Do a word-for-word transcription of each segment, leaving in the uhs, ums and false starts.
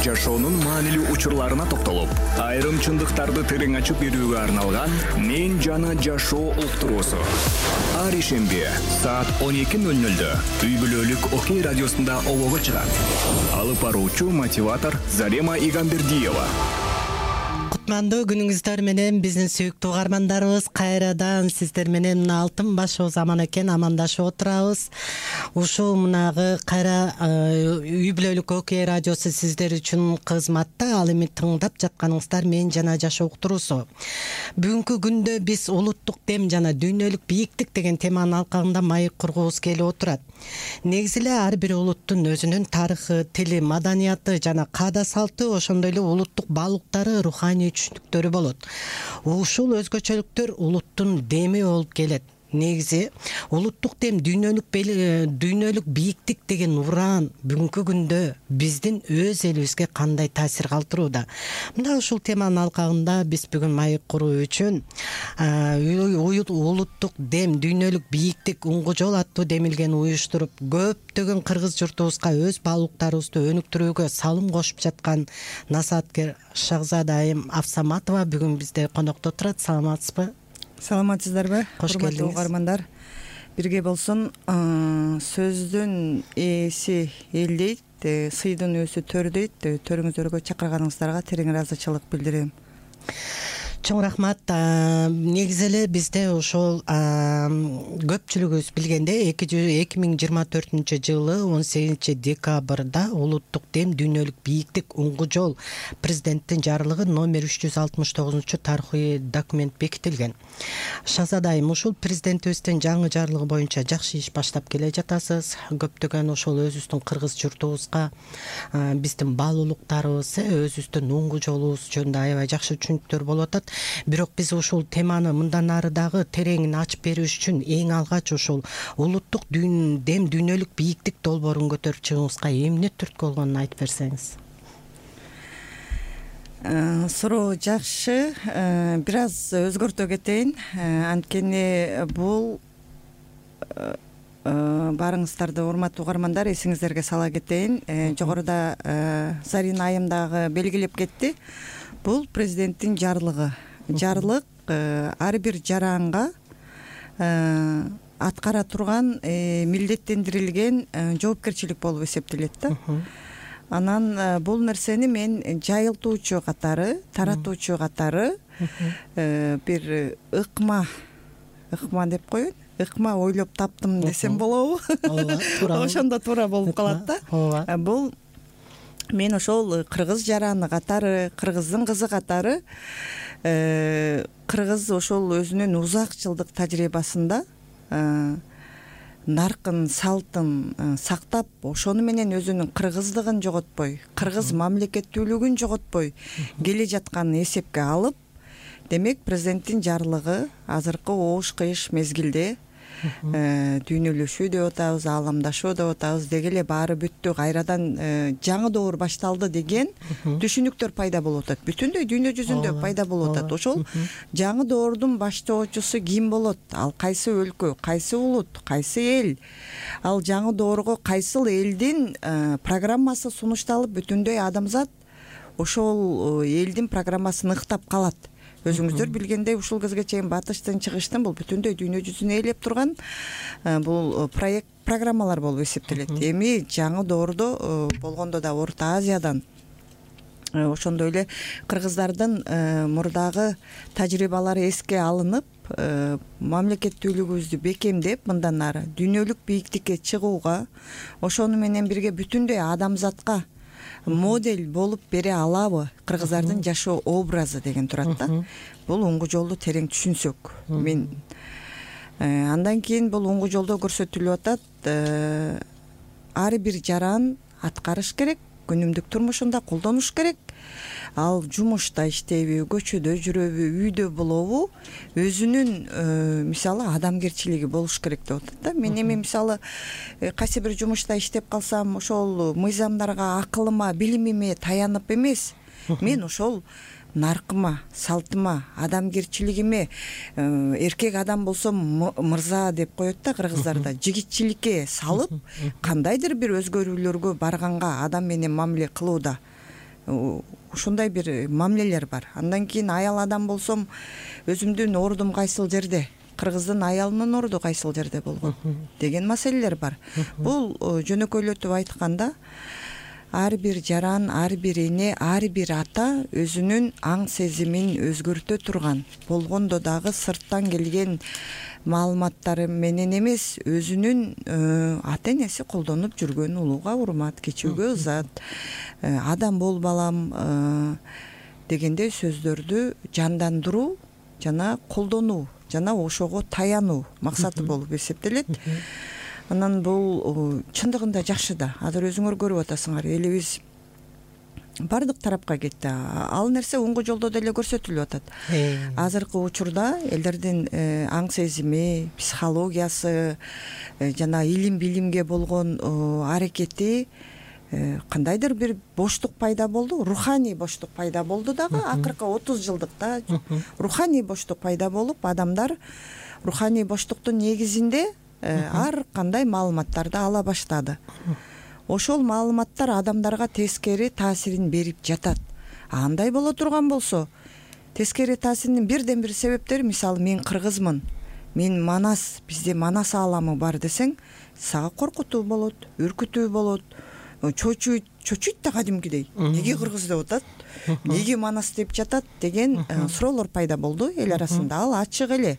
жашоонун маанилүү учурларына токтолуп, айрым чындыктарды терең ачып берүүгө арналган «Мен жана жашоо» уктуруусу. Ар ишемби саат он эки ноль нольдө үй бүлөлүк Окей радиосунда обого чыгат. Алып баруучу мотиватор Зарема Игамбердиева. Кутмандуу күнүңүздөр менен биздин сүйүктүү угармандарыбыз, кайрадан сиздер менен мына алтын башыбыз аман экен амандашып отурабыз. Ушул мынагы кайра үй бүлөлүк Окей радиосу сиздер үчүн кызматта. Ал эми тыңдап жатканыңыздар «Мен жана жашоо» уктуруусу. Бүгүнкү күндө биз улуттук дем жана дүйнөлүк бийиктик деген теманын алкагында маек кургубуз келип отурат. Негизи эле ар бир улуттун өзүнүн тарыхы, тили, маданияты жана каада салты, ошондой эле улуттук баалуулуктары, руханий түшүнүктөрү болот. Ушул өзгөчөлүктөр улуттун деми болуп келет. Негизи улуттук дем, дүйнөлүк дүйнөлүк бийиктик деген уран бүгүнкү күндө биздин өз элибизге кандай таасир калтырууда? Мында ушул теманын алкагында биз бүгүн маек куруу үчүн улуттук дем, дүйнөлүк бийиктик уңгу жол аттуу демилгени уюштуруп, көптөгөн кыргыз журтубузга өз баалуулуктарыбызды өнүктүрүүгө салым кошуп жаткан насааткер Шахзада Айым Афсаматова бүгүн бизде конокто турат. Саламатсызбы? Саламатсыздарбы? Кош келдиңиз. Урматтуу угармандар, бирге болсун. Сөздүн ээси эл дейт, сыйдын өзү төр дейт. Төрүңүздөргө чакырганыңыздарга терең ыраазычылык билдирем. Чоң рахмат. Негизи эле бизде ошол көпчүлүгүбүз билгендей эки миң жыйырма төртүнчү жылы он сегизинчи декабрда улуттук дем, дүйнөлүк бийиктик уңгу жол президенттин жарлыгы номер үч жүз алтымыш тогузунчу тарыхый документ бекитилген. Шахзада Айым, ушул президентибиздин жаңы жарлыгы боюнча жакшы иш баштап келе жатасыз. Көптөгөн ошол өзүбүздүн кыргыз журтубузга биздин баалуулуктарыбыз, өзүбүздүн уңгу жолубуз жөнүндө аябай жакшы түшүнүктөр болуп атат. Бирок биз ушул теманы мындан ары дагы тереңин ачып берүү үчүн эң алгач ушул улуттук дем, дүйнөлүк бийиктик долбоорун көтөрүп чыгууңузга эмне түрткү болгонун айтып берсеңиз. Суроо жакшы. Бир аз өзгөртө кетейин. Анткени бул баарыңыздарды, урматтуу угармандар, эсиңиздерге сала кетейин. Жогоруда Зарина Айым дагы белгилеп кетти. Бул президенттин жарлыгы. Жарлык ар бир жаранга аткара турган милдеттендирилген жоопкерчилик болуп эсептелет да. Анан бул нерсени мен жайылтуучу катары, таратуучу катары бир ыкма ыкма деп коеюн. Ыкма ойлоп таптым десем болобу? Ошондо туура болуп калат да. Бул мен ошол кыргыз жараны катары, кыргыздын кызы катары кыргыз ошол өзүнүн узак жылдык тажрыйбасында наркын, салтын сактап, ошону менен өзүнүн кыргыздыгын жоготпой, кыргыз мамлекеттүүлүгүн жоготпой келе жатканын эсепке алып, демек президенттин жарлыгы азыркы оош кыйыш мезгилде дүйнөлөшүү деп атабыз, ааламдашуу деп атабыз, деги эле баары бүттү, кайрадан жаңы доор башталды деген түшүнүктөр пайда болуп атат. Бүтүндөй дүйнө жүзүндө пайда болуп атат. Ошол жаңы доордун баштоочусу ким болот? Ал кайсы өлкө, кайсы улут, кайсы эл? Ал жаңы доорго кайсыл элдин программасы сунушталып, бүтүндөй адамзат ошол элдин программасын ыктап калат. Өзүңүздөр билгендей, ушул кезге чейин батыштын, чыгыштын бул бүтүндөй дүйнө жүзүн ээлеп турган бул проект программалар болуп эсептелет. Эми жаңы доордо болгондо да Орто Азиядан, ошондой эле кыргыздардын мурдагы тажрыйбалары эске алынып, мамлекеттүүлүгүбүздү бекемдеп, мындан ары дүйнөлүк бийиктикке чыгууга, ошону менен бирге бүтүндөй адамзатка модель болуп бере алабы кыргыздардын жашоо образы деген турат да. Бул уңгу жолду терең түшүнсөк, мен андан кийин бул уңгу жолдо көрсөтүлүп атат, ар бир жаран аткарыш керек, күнүмдүк турмушунда колдонуш керек. Ал жумушта иштейби, көчөдө жүрөбү, үйдө болобу, өзүнүн мисалы адамгерчилиги болуш керек деп атат да. Мен эми мисалы кайсы бир жумушта иштеп калсам, ошол мыйзамдарга, акылыма, билимиме таянып эмес, мен ошол наркыма, салтыма, адамгерчилигиме, эркек адам болсо мырза деп коет да кыргыздарда, жигитчиликке салып, кандайдыр бир өзгөрүүлөргө барганга, адам менен мамиле кылууда ушундай бир мамилелер бар. Андан кийин аял адам болсом өзүмдүн ордум кайсыл жерде, кыргыздын аялынын орду кайсыл жерде болгон деген маселелер бар. Бул жөнөкөйлөтүп айтканда ар бир жаран, ар бир эне, ар бир ата өзүнүн аң сезимин өзгөртө турган, болгондо дагы сырттан келген маалыматтары менен эмес, өзүнүн ата энеси колдонуп жүргөн улууга урмат, кечүүгө ызат, адам бол балам дегендей сөздөрдү жандандыруу жана колдонуу жана ошого таянуу максаты болуп эсептелет. Анан бул чындыгында жакшы да. Азыр өзүңөр көрүп атасыңар, элибиз бардык тарапка кетти. Ал нерсе оңго жолдо деле көрсөтүлүп атат. Азыркы учурда элдердин аң сезими, психологиясы жана илим билимге болгон аракети кандайдыр бир боштук пайда болду, руханий боштук пайда болду дагы. Акыркы отуз жылдыкта руханий боштук пайда болуп, адамдар руханий боштуктун негизинде ар кандай маалыматтарды ала баштады. Ошол маалыматтар адамдарга тескери таасирин берип жатат. Андай боло турган болсо, тескери таасиринин бирден бир себептери, мисалы, мен кыргызмын, мен манас, бизде манас ааламы бар десең, сага коркутуу болот, үркүтүү болот, чочуйт, чочуйт да кадимкидей. Неге кыргыз деп атат, неге манас деп жатат деген суроолор пайда болду эл арасында. Ал ачык эле.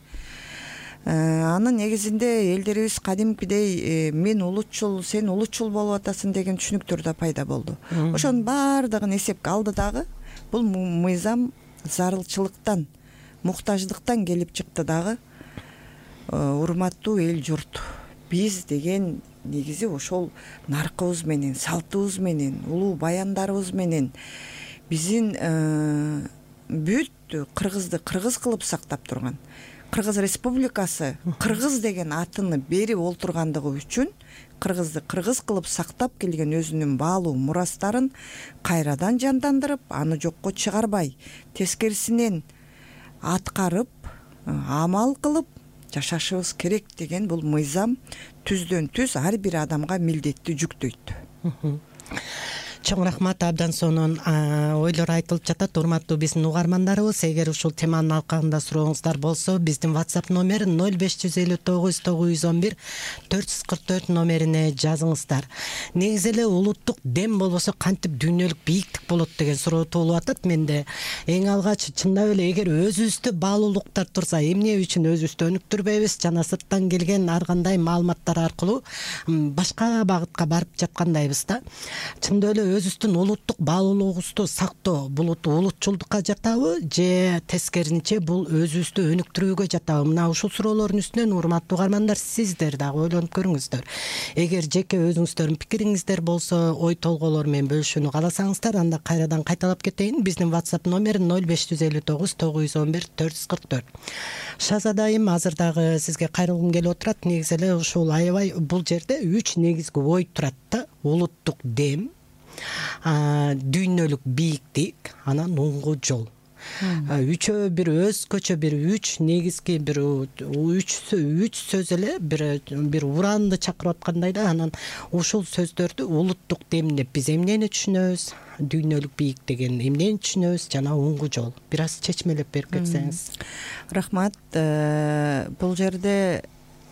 Анын негизинде элдерибиз кадимкидей мен улутчул, сен улутчул болуп атасың деген түшүнүктөр да пайда болду. Ошонун баардыгын эсепке алды дагы. Бул мыйзам зарылчылыктан, муктаждыктан келип чыкты дагы. Урматтуу эл журт, биз деген негизи ошол наркыбыз менен, салтыбыз менен, улуу баяндарыбыз менен биздин бүт кыргызды кыргыз кылып сактап турган, Кыргыз Республикасы кыргыз деген атыны берип олтургандыгы үчүн кыргызды кыргыз кылып сактап келген өзүнүн баалуу мурастарын кайрадан жандандырып, аны жокко чыгарбай, тескерисинен аткарып, амал кылып жашашыбыз керек деген бул мыйзам түздөн түз ар бир адамга милдетти жүктөйт. Чоң рахмат, абдан сонун ойлор айтылып жатат. Урматтуу биздин угармандарыбыз, эгер ушул теманын алкагында сурооңуздар болсо, биздин WhatsApp номери ноль беш жүз элүү тогуз тогуз жүз он бир төрт жүз кырк төрт номерине жазыңыздар. Негизи эле улуттук дем болбосо кантип дүйнөлүк бийиктик болот деген суроо туулуп атат менде. Эң алгач чындап эле эгер өзүбүздө баалуулуктар турса, эмне үчүн өзүбүздү өнүктүрбөйбүз жана сырттан келген ар кандай маалыматтар аркылуу башка багытка барып жаткандайбыз да. Чындап эле өзүбүздүн улуттук баалуулугубузду сактоо бул улутчулдукка жатабы же тескерисинче бул өзүбүздү өнүктүрүүгө жатабы? Мына ушул суроолордун үстүнөн урматтуу угармандар, сиздер дагы ойлонуп көрүңүздөр. Эгер жеке өзүңүздөрдүн пикириңиздер болсо, ой толгоолор менен бөлүшүүнү кааласаңыздар, анда кайрадан кайталап кетейин. Биздин WhatsApp номери ноль беш жүз элүү тогуз тогуз жүз он бир төрт жүз кырк төрт. Шазадайым, азыр дагы сизге кайрылгым келип отурат. Негизи эле ушул аябай бул жерде үч негизги ой турат да. Улуттук дем, дүйнөлүк бийиктик, анан оңго жол. Үчөө бир өзгөчө бир үч негизги бир үч үч сөз эле бир бир уранды чакырып аткандай да. Анан ушул сөздөрдү улуттук дем деп биз эмнени түшүнөбүз, дүйнөлүк бийик деген эмнени түшүнөбүз жана оңго жол. Бир аз чечмелеп берип кетсеңиз. Рахмат. Бул жерде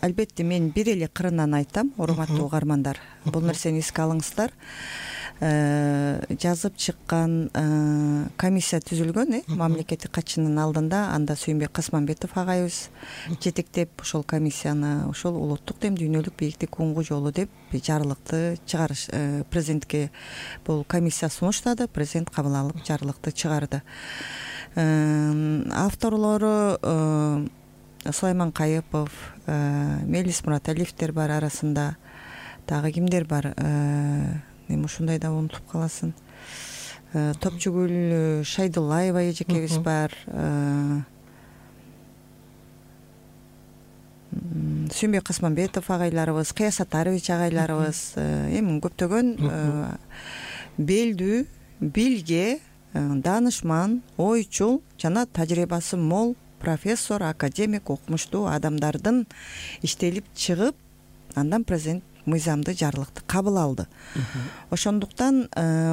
албетте мен бир эле кырынан айтам, урматтуу угармандар. Бул нерсени эске алыңыздар. Жазып чыккан комиссия түзүлгөн, мамлекеттик катчынын алдында. Анда Сүйүнбек Касманбетов агайыбыз жетектеп ошол комиссияны, ошол улуттук дем, дүйнөлүк бийиктик, оңго жолу деп жарлыкты чыгарыш, президентке бул комиссия сунуштады, президент кабыл алып жарлыкты чыгарды. Авторлору Сулайман Кайыпов, Мелис Мураталиевдер бар арасында, дагы кимдер бар? Эми ушундай да унутуп каласың. Топчугүл Шайдуллаева эжекебиз бар. Сүйүнбек Касманбетов агайларыбыз, Кыя Сатарович агайларыбыз, эми көптөгөн белдүү, билге, данышман, ойчул жана тажрыйбасы мол профессор, академик, окумуштуу адамдардын иштелип чыгып, андан президент мыйзамды, жарлыкты кабыл алды. Ошондуктан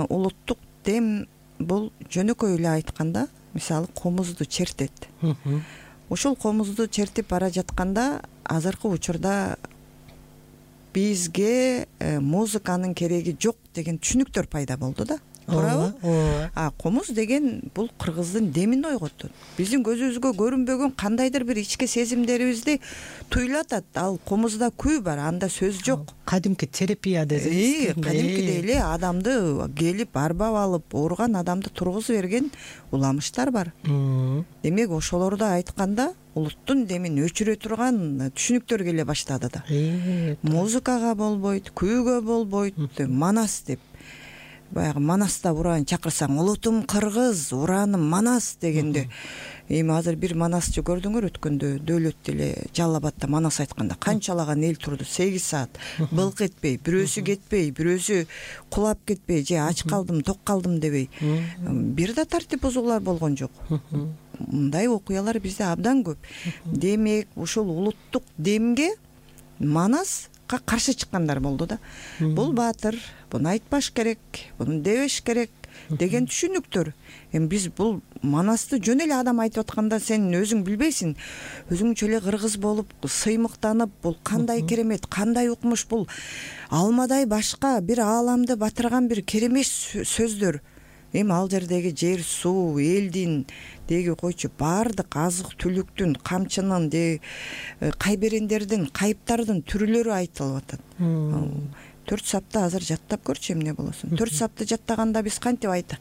улуттук дем бул жөнөкөй эле айтканда мисалы комузду чертет. Ушул комузду чертип бара жатканда азыркы учурда бизге музыканын кереги жок деген түшүнүктөр пайда болду да. Туурабы? ооба. А комуз деген бул кыргыздын демин ойготот. Биздин көзүбүзгө көрүнбөгөн кандайдыр бир ички сезимдерибизди туйлатат. Ал комузда күй бар, анда сөз жок. Кадимки терапия десеңиз. Кадимкидей эле адамды келип арбап алып, ооруган адамды тургузуп берген уламыштар бар. Демек ошолорду айтканда улуттун демин өчүрө турган түшүнүктөр келе баштады да. Музыкага болбойт, күйгө болбойт, манас деп. Баягы манаста ураан чакырсаң, улутум кыргыз, урааным манас дегенде, эми азыр бир манасчы көрдүңөр өткөндө дөөлөт эле Жалал Абадда манас айтканда канчалаган эл турду, сегиз саат былк этпей, бирөөсү кетпей, бирөөсү кулап кетпей, же ач калдым, ток калдым дебей. Бир да тартип бузуулар болгон жок. Мындай окуялар бизде абдан көп. Демек, ушул улуттук демге манас каршы чыккандар болду да. Бул баатыр, буну айтпаш керек, буну дебеш керек деген түшүнүктөр. Эми биз бул манасты жөн эле адам айтып атканда сен өзүң билбейсиң. Өзүңчө эле кыргыз болуп, сыймыктанып, бул кандай керемет, кандай укмуш, бул алмадай башка бир ааламды батырган бир керемет сөздөр. Эми ал жердеги жер, суу, элдин деги койчу баардык азык түлүктүн, камчынын, де кайберендердин, кайыптардын түрлөрү айтылып атат. Төрт сапты азыр жаттап көрчү эмне болосун. Төрт сапты жаттаганда биз кантип айта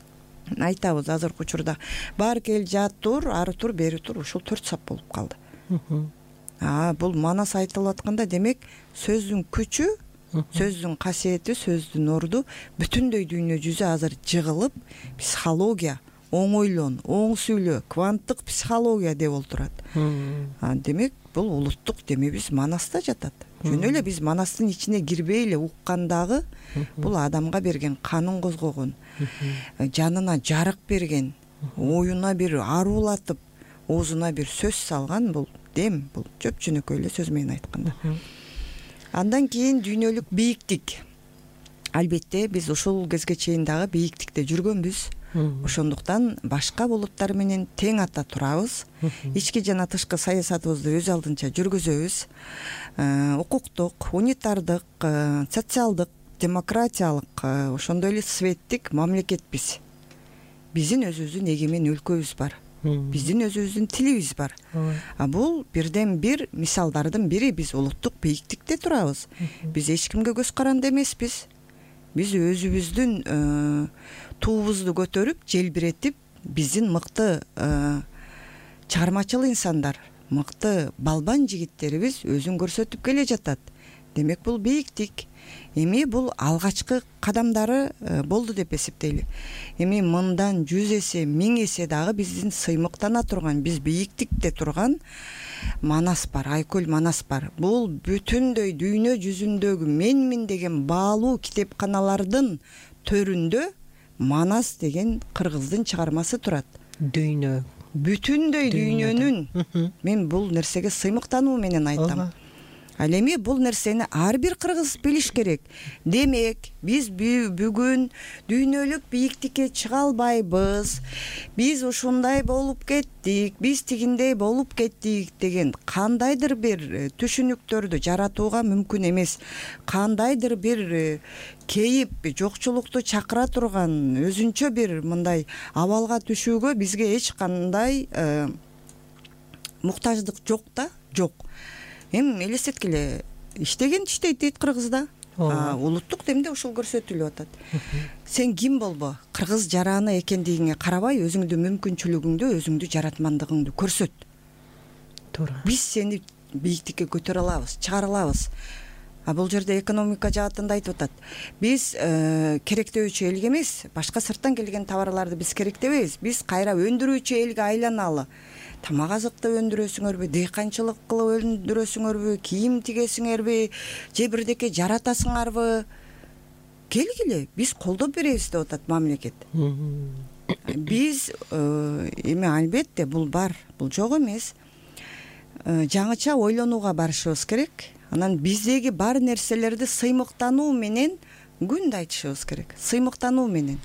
айтабыз азыркы учурда. Бар кел жат тур, ары тур, бери тур, ушул төрт сап болуп калды. А бул манас айтылып атканда демек сөздүн күчү, сөздүн касиети, сөздүн орду бүтүндөй дүйнө жүзү азыр жыгылып, психология, оң ойлон, оң сүйлө, кванттык психология деп олтурат. Демек бул улуттук демебиз манаста жатат. Жөн эле биз манастын ичине кирбей эле уккандагы бул адамга берген канын козгогон, жанына жарык берген, оюна бир аруулатып, оозуна бир сөз салган бул дем, бул жөп жөнөкөй эле сөз менен айтканда. Андан кийин дүйнөлүк бийиктик. Албетте биз ушул кезге чейин дагы бийиктикте жүргөнбүз. Ошондуктан башка булуттар менен тең ата турабыз. Ички жана тышкы саясатыбызды өз алдынча жүргүзөбүз. Укуктук, унитардык, социалдык, демократиялык, ошондой эле светтик мамлекетпиз. Биздин өзүбүздүн эгемен өлкөбүз бар. Биздин өзүбүздүн тилибиз бар. А бул бирден бир мисалдардын бири. Биз улуттук бийиктикте турабыз. Биз эч кимге көз каранды эмеспиз. Биз өзүбүздүн туубузду көтөрүп, желбиретип, биздин мыкты чыгармачыл инсандар, мыкты балбан жигиттерибиз өзүн көрсөтүп келе жатат. Демек бул бийиктик. Эми бул алгачкы кадамдары болду деп эсептейли. Эми мындан жүз эсе, миң эсе дагы биздин сыймыктана турган, биз бийиктикте турган манас бар, Айкөл манас бар. Бул бүтүндөй дүйнө жүзүндөгү менмин деген баалуу китепканалардын төрүндө манас деген кыргыздын чыгармасы турат. Дүйнө. Бүтүндөй дүйнөнүн. Мен бул нерсеге сыймыктануу менен айтам. Ал эми бул нерсени ар бир кыргыз билиш керек. Демек, биз бүгүн дүйнөлүк бийиктикке чыга албайбыз. Биз ушундай болуп кеттик, биз тигиндей болуп кеттик деген кандайдыр бир түшүнүктөрдү жаратууга мүмкүн эмес. Кандайдыр бир кейип, жокчулукту чакыра турган өзүнчө бир мындай абалга түшүүгө бизге эч кандай муктаждык жок да, жок. Эми элестеткиле, иштеген иштейт дейт кыргызда. Улуттук демде ушул көрсөтүлүп атат. Сен ким болбо, кыргыз жараны экендигиңе карабай, өзүңдүн мүмкүнчүлүгүңдү, өзүңдү жаратмандыгыңды көрсөт. Туура. Биз сени бийиктикке көтөрө алабыз, чыгара алабыз. А бул жерде экономика жаатында айтып атат. Биз керектөөчү элге эмес, башка сырттан келген товарларды биз керектебейбиз. Биз кайра өндүрүүчү элге айланалы. Тамак азыкты өндүрөсүңөрбү, дыйканчылык кылып өндүрөсүңөрбү, кийим тигесиңерби, же бирдеке жаратасыңарбы? Келгиле, биз колдоп беребиз деп атат мамлекет. Биз эми албетте бул бар, бул жок эмес. Жаңыча ойлонууга барышыбыз керек. Анан биздеги бар нерселерди сыймыктануу менен күндө айтышыбыз керек. Сыймыктануу менен.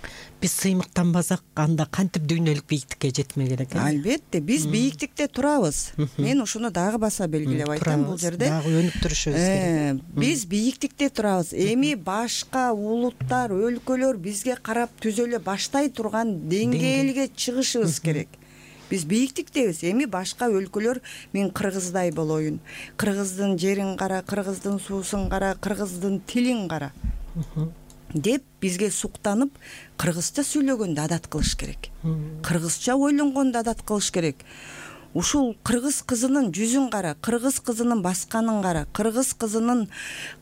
биз сыймыктанбасак анда кантип дүйнөлүк бийиктикке жетмек элек? Албетте биз бийиктикте турабыз. Мен ушуну дагы баса белгилеп айтам бул жерде. Дагы өнүктүрүшүбүз керек. Биз бийиктикте турабыз. Эми башка улуттар, өлкөлөр бизге карап түзөлө баштай турган деңгээлге чыгышыбыз керек. Биз бийиктиктебиз. Эми башка өлкөлөр мен кыргыздай болоюн. Кыргыздын жерин кара, кыргыздын суусун кара, кыргыздын тилин кара деп бизге суктанып, кыргызча сүйлөгөндү адат кылыш керек. Кыргызча ойлонгонду адат кылыш керек. Ушул кыргыз кызынын жүзүн кара, кыргыз кызынын басканын кара, кыргыз кызынын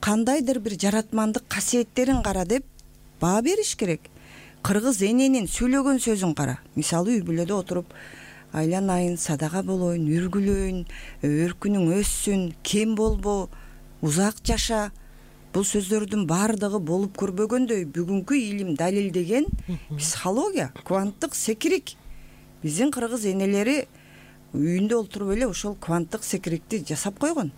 кандайдыр бир жаратмандык касиеттерин кара деп баа бериш керек. Кыргыз эненин сүйлөгөн сөзүн кара. Мисалы үй бүлөдө отуруп айланайын, садага болоюн, үргүлөйүн, өркүнүң өссүн, кем болбо, узак жаша. Бул сөздөрдүн баардыгы болуп көрбөгөндөй бүгүнкү илим далилдеген психология, кванттык секирик. Биздин кыргыз энелери үйүндө олтуруп эле ошол кванттык секирикти жасап койгон.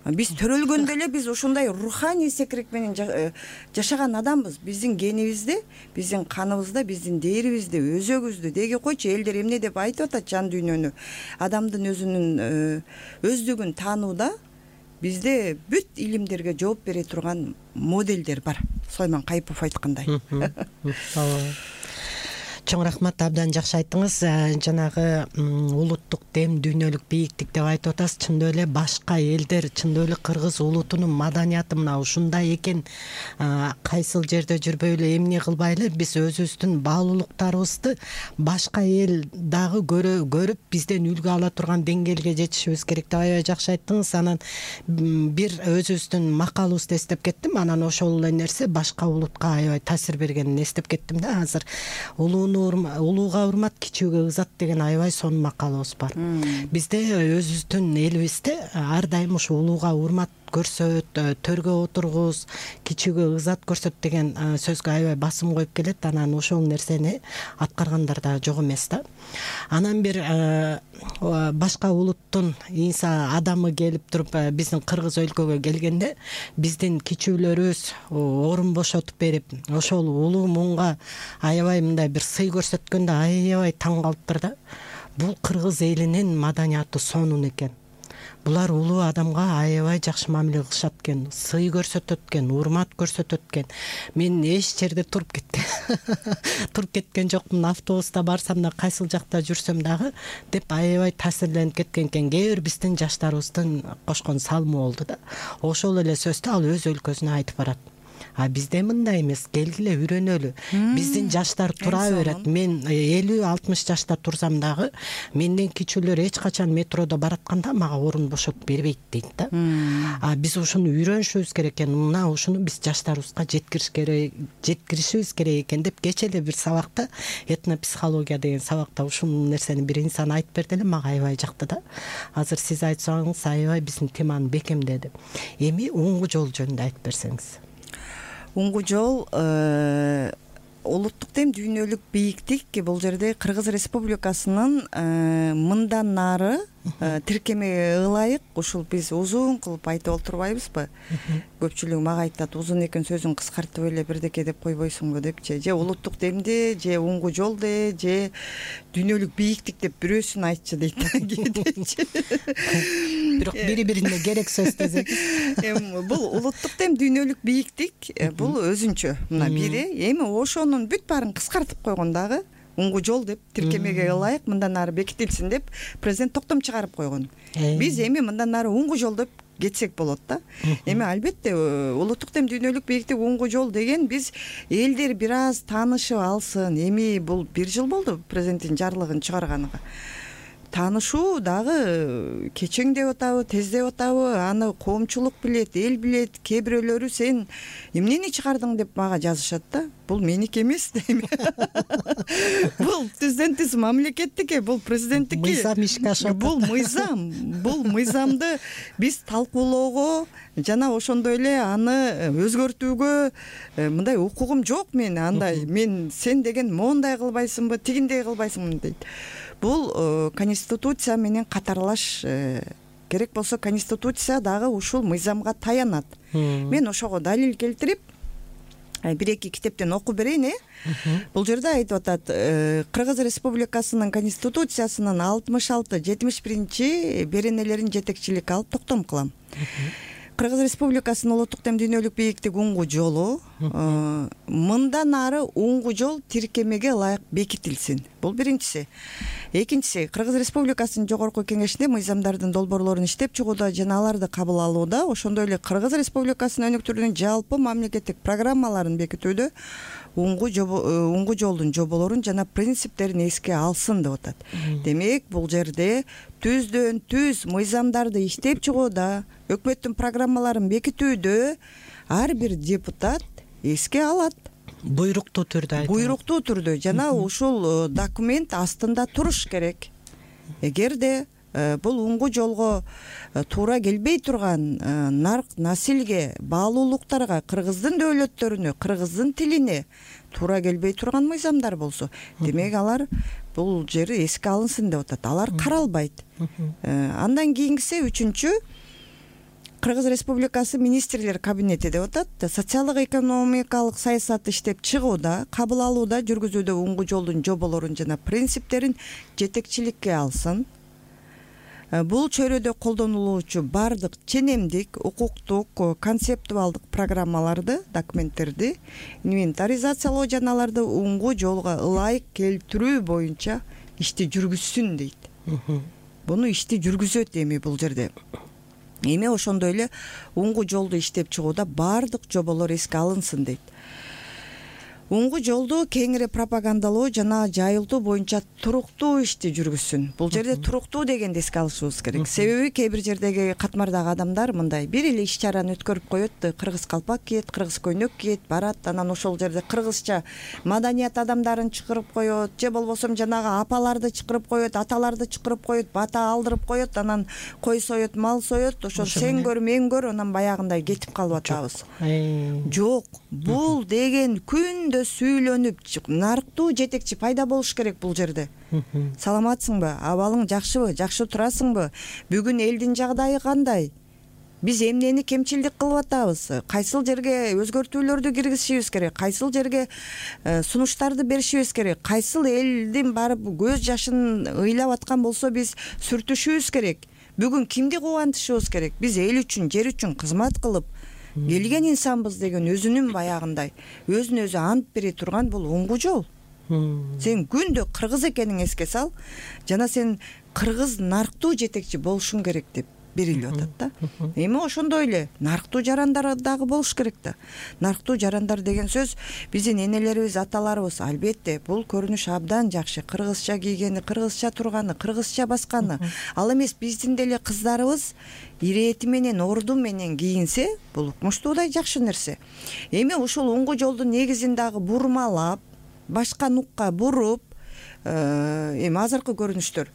Биз төрөлгөндө эле биз ушундай руханий секирик менен жашаган адамбыз. Биздин генибизде, биздин каныбызда, биздин дээрибизде, өзөгүбүздө деги койчу элдер эмне деп айтып атат жан дүйнөнү. Адамдын өзүнүн өздүгүн таанууда бизде бүт илимдерге жооп бере турган моделдер бар. Сулайман Кайыпов айткандай. Чоң рахмат, абдан жакшы айттыңыз. Жанагы улуттук дем, дүйнөлүк бийиктик деп айтып атасыз. Чындап эле башка элдер, чындап эле кыргыз улутунун маданияты мына ушундай экен. Кайсыл жерде жүрбөй эле, эмне кылбай эле биз өзүбүздүн баалуулуктарыбызды башка эл дагы көрүп, бизден үлгү ала турган деңгээлге жетишибиз керек деп аябай жакшы айттыңыз. Анан бир өзүбүздүн макалыбызды эстеп кеттим. Анан ошол эле нерсе башка улутка аябай таасир бергенин эстеп кеттим да. Азыр улууну улууга урмат, кичүүгө ызат деген аябай сонун макалыбыз бар. Бизде өзүбүздүн элибизде ар дайым ушу улууга урмат көрсөт, төргө отургуз, кичүүгө ызат көрсөт деген сөзгө аябай басым коюп келет. Анан ошол нерсени аткаргандар да жок эмес да. Анан бир башка улуттун инса адамы келип туруп биздин кыргыз өлкөгө келгенде биздин кичүүлөрүбүз орун бошотуп берип, ошол улуу муңга аябай мындай бир сый көрсөткөндө аябай таң калыптыр да. Бул кыргыз элинин маданияты сонун экен. Булар улуу адамга аябай жакшы мамиле кылышат экен, сый көрсөтөт экен, урмат көрсөтөт экен. Мен эч жерде туруп кеткен. Туруп кеткен жокмун, автобуста барсам да, кайсыл жакта жүрсөм дагы деп аябай таасирленип кеткен экен. Кээ бир биздин жаштарыбыздын кошкон салымы болду да. Ошол эле сөздү ал өз өлкөсүнө айтып барат. А бизде мындай эмес, келгиле үйрөнөлү. Биздин жаштар тура берет. Мен элүү алтымыш жашта турсам дагы менден кичүүлөр эч качан метродо баратканда мага орун бошотуп бербейт дейт да. А биз ушуну үйрөнүшүбүз керек экен. Мына ушуну биз жаштарыбызга жеткириш керек, жеткиришибиз керек экен деп кече эле бир сабакта, этнопсихология деген сабакта ушул нерсени бир инсан айтып берди эле, мага аябай жакты да. Азыр сиз айтсаңыз аябай биздин теманы бекемдеди. Эми оңгу жол жөнүндө айтып берсеңиз. Оңгу жол улуттук дем, дүйнөлүк бийиктик бул жерде Кыргыз Республикасынын мындан нары тиркемеге ылайык, ушул биз узун кылып айтып олтурбайбызбы? Көпчүлүгү мага айтат, узун экен сөзүң кыскартып эле бирдеке деп койбойсуңбу депчи. Же улуттук демди, же оңгу жол де, же дүйнөлүк бийиктик деп бирөөсүн айтчы дейт. Бирок бири-бирине керек сөз десек. Эми бул улуттук дем, дүйнөлүк бийиктик бул өзүнчө. Мына бири, эми ошонун бүт баарын кыскартып койгон дагы. Оңгу жол деп тиркемеге ылайык мындан ары бекитилсин деп президент токтом чыгарып койгон. Биз эми мындан ары оңгу жол деп кетсек болот да. Эми албетте улуттук дем, дүйнөлүк бийиктик, оңгу жол деген биз элдер бир аз таанышып алсын. Эми бул бир жыл болду президенттин жарлыгын чыгарганына. Таанышуу дагы кечең деп атабы, тез деп атабы, аны коомчулук билет, эл билет. Кээ бирөөлөрү сен эмнени чыгардың деп мага жазышат да. Бул меники эмес дейм. Бул президенттик мамлекеттики, бул президенттики. Мыйзам ишке ашат. Бул мыйзам, бул мыйзамды биз талкуулоого жана ошондой эле аны өзгөртүүгө мындай укугум жок мен. Андай мен сен деген моундай кылбайсыңбы, тигиндей кылбайсыңбы дейт. Бул конституция менен катарлаш керек болсо конституция дагы ушул мыйзамга таянат. Мен ошого далил келтирип бир эки китептен окуп берейин. э Бул жерде айтып атат, Кыргыз Республикасынын Конституциясынын алтымыш алты жетимиш биринчи беренелерин жетекчиликке алып токтом кылам. Кыргыз Республикасынын улуттук дем дүйнөлүк бийиктик уңгу жолу мындан ары уңгу жол тиркемеге ылайык бекитилсин. Бул биринчиси. Экинчиси, Кыргыз Республикасынын жогорку кеңешинде мыйзамдардын долбоорлорун иштеп чыгууда жана аларды кабыл алууда, ошондой эле Кыргыз Республикасынын өнүктүрүүнүн жалпы мамлекеттик программаларын бекитүүдө уңгу уңгу жолдун жоболорун жана принциптерин эске алсын деп атат. Демек, бул жерде түздөн түз мыйзамдарды иштеп чыгууда, өкмөттүн программаларын бекитүүдө ар бир депутат эске алат. Буйруктуу түрдө айтып. Буйруктуу түрдө жана ушул документ астында туруш керек. Эгерде бул уңгу жолго туура келбей турган нарк насилге, баалуулуктарга, кыргыздын дөөлөттөрүнө, кыргыздын тилине туура келбей турган мыйзамдар болсо, демек алар бул жери эске алынсын деп атат. Алар каралбайт. Андан кийинкиси үчүнчү, Кыргыз Республикасы министрлер кабинети деп атат. Социалдык экономикалык саясатты иштеп чыгууда, кабыл алууда, жүргүзүүдө уңгу жолдун жоболорун жана принциптерин жетекчиликке алсын. Бул чөйрөдө колдонулуучу бардык ченемдик, укуктук, концептуалдык программаларды, документтерди инвентаризациялоо жана аларды уңгу жолго ылайык келтирүү боюнча ишти жүргүзсүн дейт. Буну ишти жүргүзөт эми бул жерде. Эми ошондой эле уңгу жолду иштеп чыгууда бардык жоболор эске алынсын дейт. Уңгу жолду кеңири пропагандалоо жана жайылтуу боюнча туруктуу ишти жүргүзсүн. Бул жерде туруктуу дегенди эске алышыбыз керек. Себеби кээ бир жердеги катмардагы адамдар мындай бир эле иш чараны өткөрүп коет, кыргыз калпак кийет, кыргыз көйнөк кийет, барат, анан ошол жерде кыргызча маданият адамдарын чакырып коет, же болбосо жанагы апаларды чакырып коет, аталарды чакырып коет, бата алдырып коет, анан кой соет, мал соет, ошол сен көр, мен көр, анан баягындай кетип калып атабыз. Жок, бул деген күндө сүйлөнүп нарктуу жетекчи пайда болуш керек бул жерде. Саламатсыңбы? Абалың жакшыбы? Жакшы турасыңбы? Бүгүн элдин жагдайы кандай? Биз эмнени кемчилдик кылып атабыз? Кайсыл жерге өзгөртүүлөрдү киргизишибиз керек? Кайсыл жерге сунуштарды беришибиз керек? Кайсыл элдин барып көз жашын ыйлап аткан болсо биз сүртүшүбүз керек? Бүгүн кимди кубантышыбыз керек? Биз эл үчүн, жер үчүн кызмат кылып келген инсанбыз деген өзүнүн баягындай өзүн өзү ант бере турган бул уңгу жол. Сен күндө кыргыз экениңди эске сал жана сен кыргыз нарктуу жетекчи болушуң керек деп берилип атат да. Эми ошондой эле нарктуу жарандар дагы болуш керек да. Нарктуу жарандар деген сөз биздин энелерибиз, аталарыбыз, албетте бул көрүнүш абдан жакшы. Кыргызча кийгени, кыргызча турганы, кыргызча басканы. Ал эмес биздин деле кыздарыбыз ирети менен, орду менен кийинсе, бул укмуштуудай жакшы нерсе. Эми ушул уңгу жолдун негизин дагы бурмалап, башка нукка буруп, эми азыркы көрүнүштөр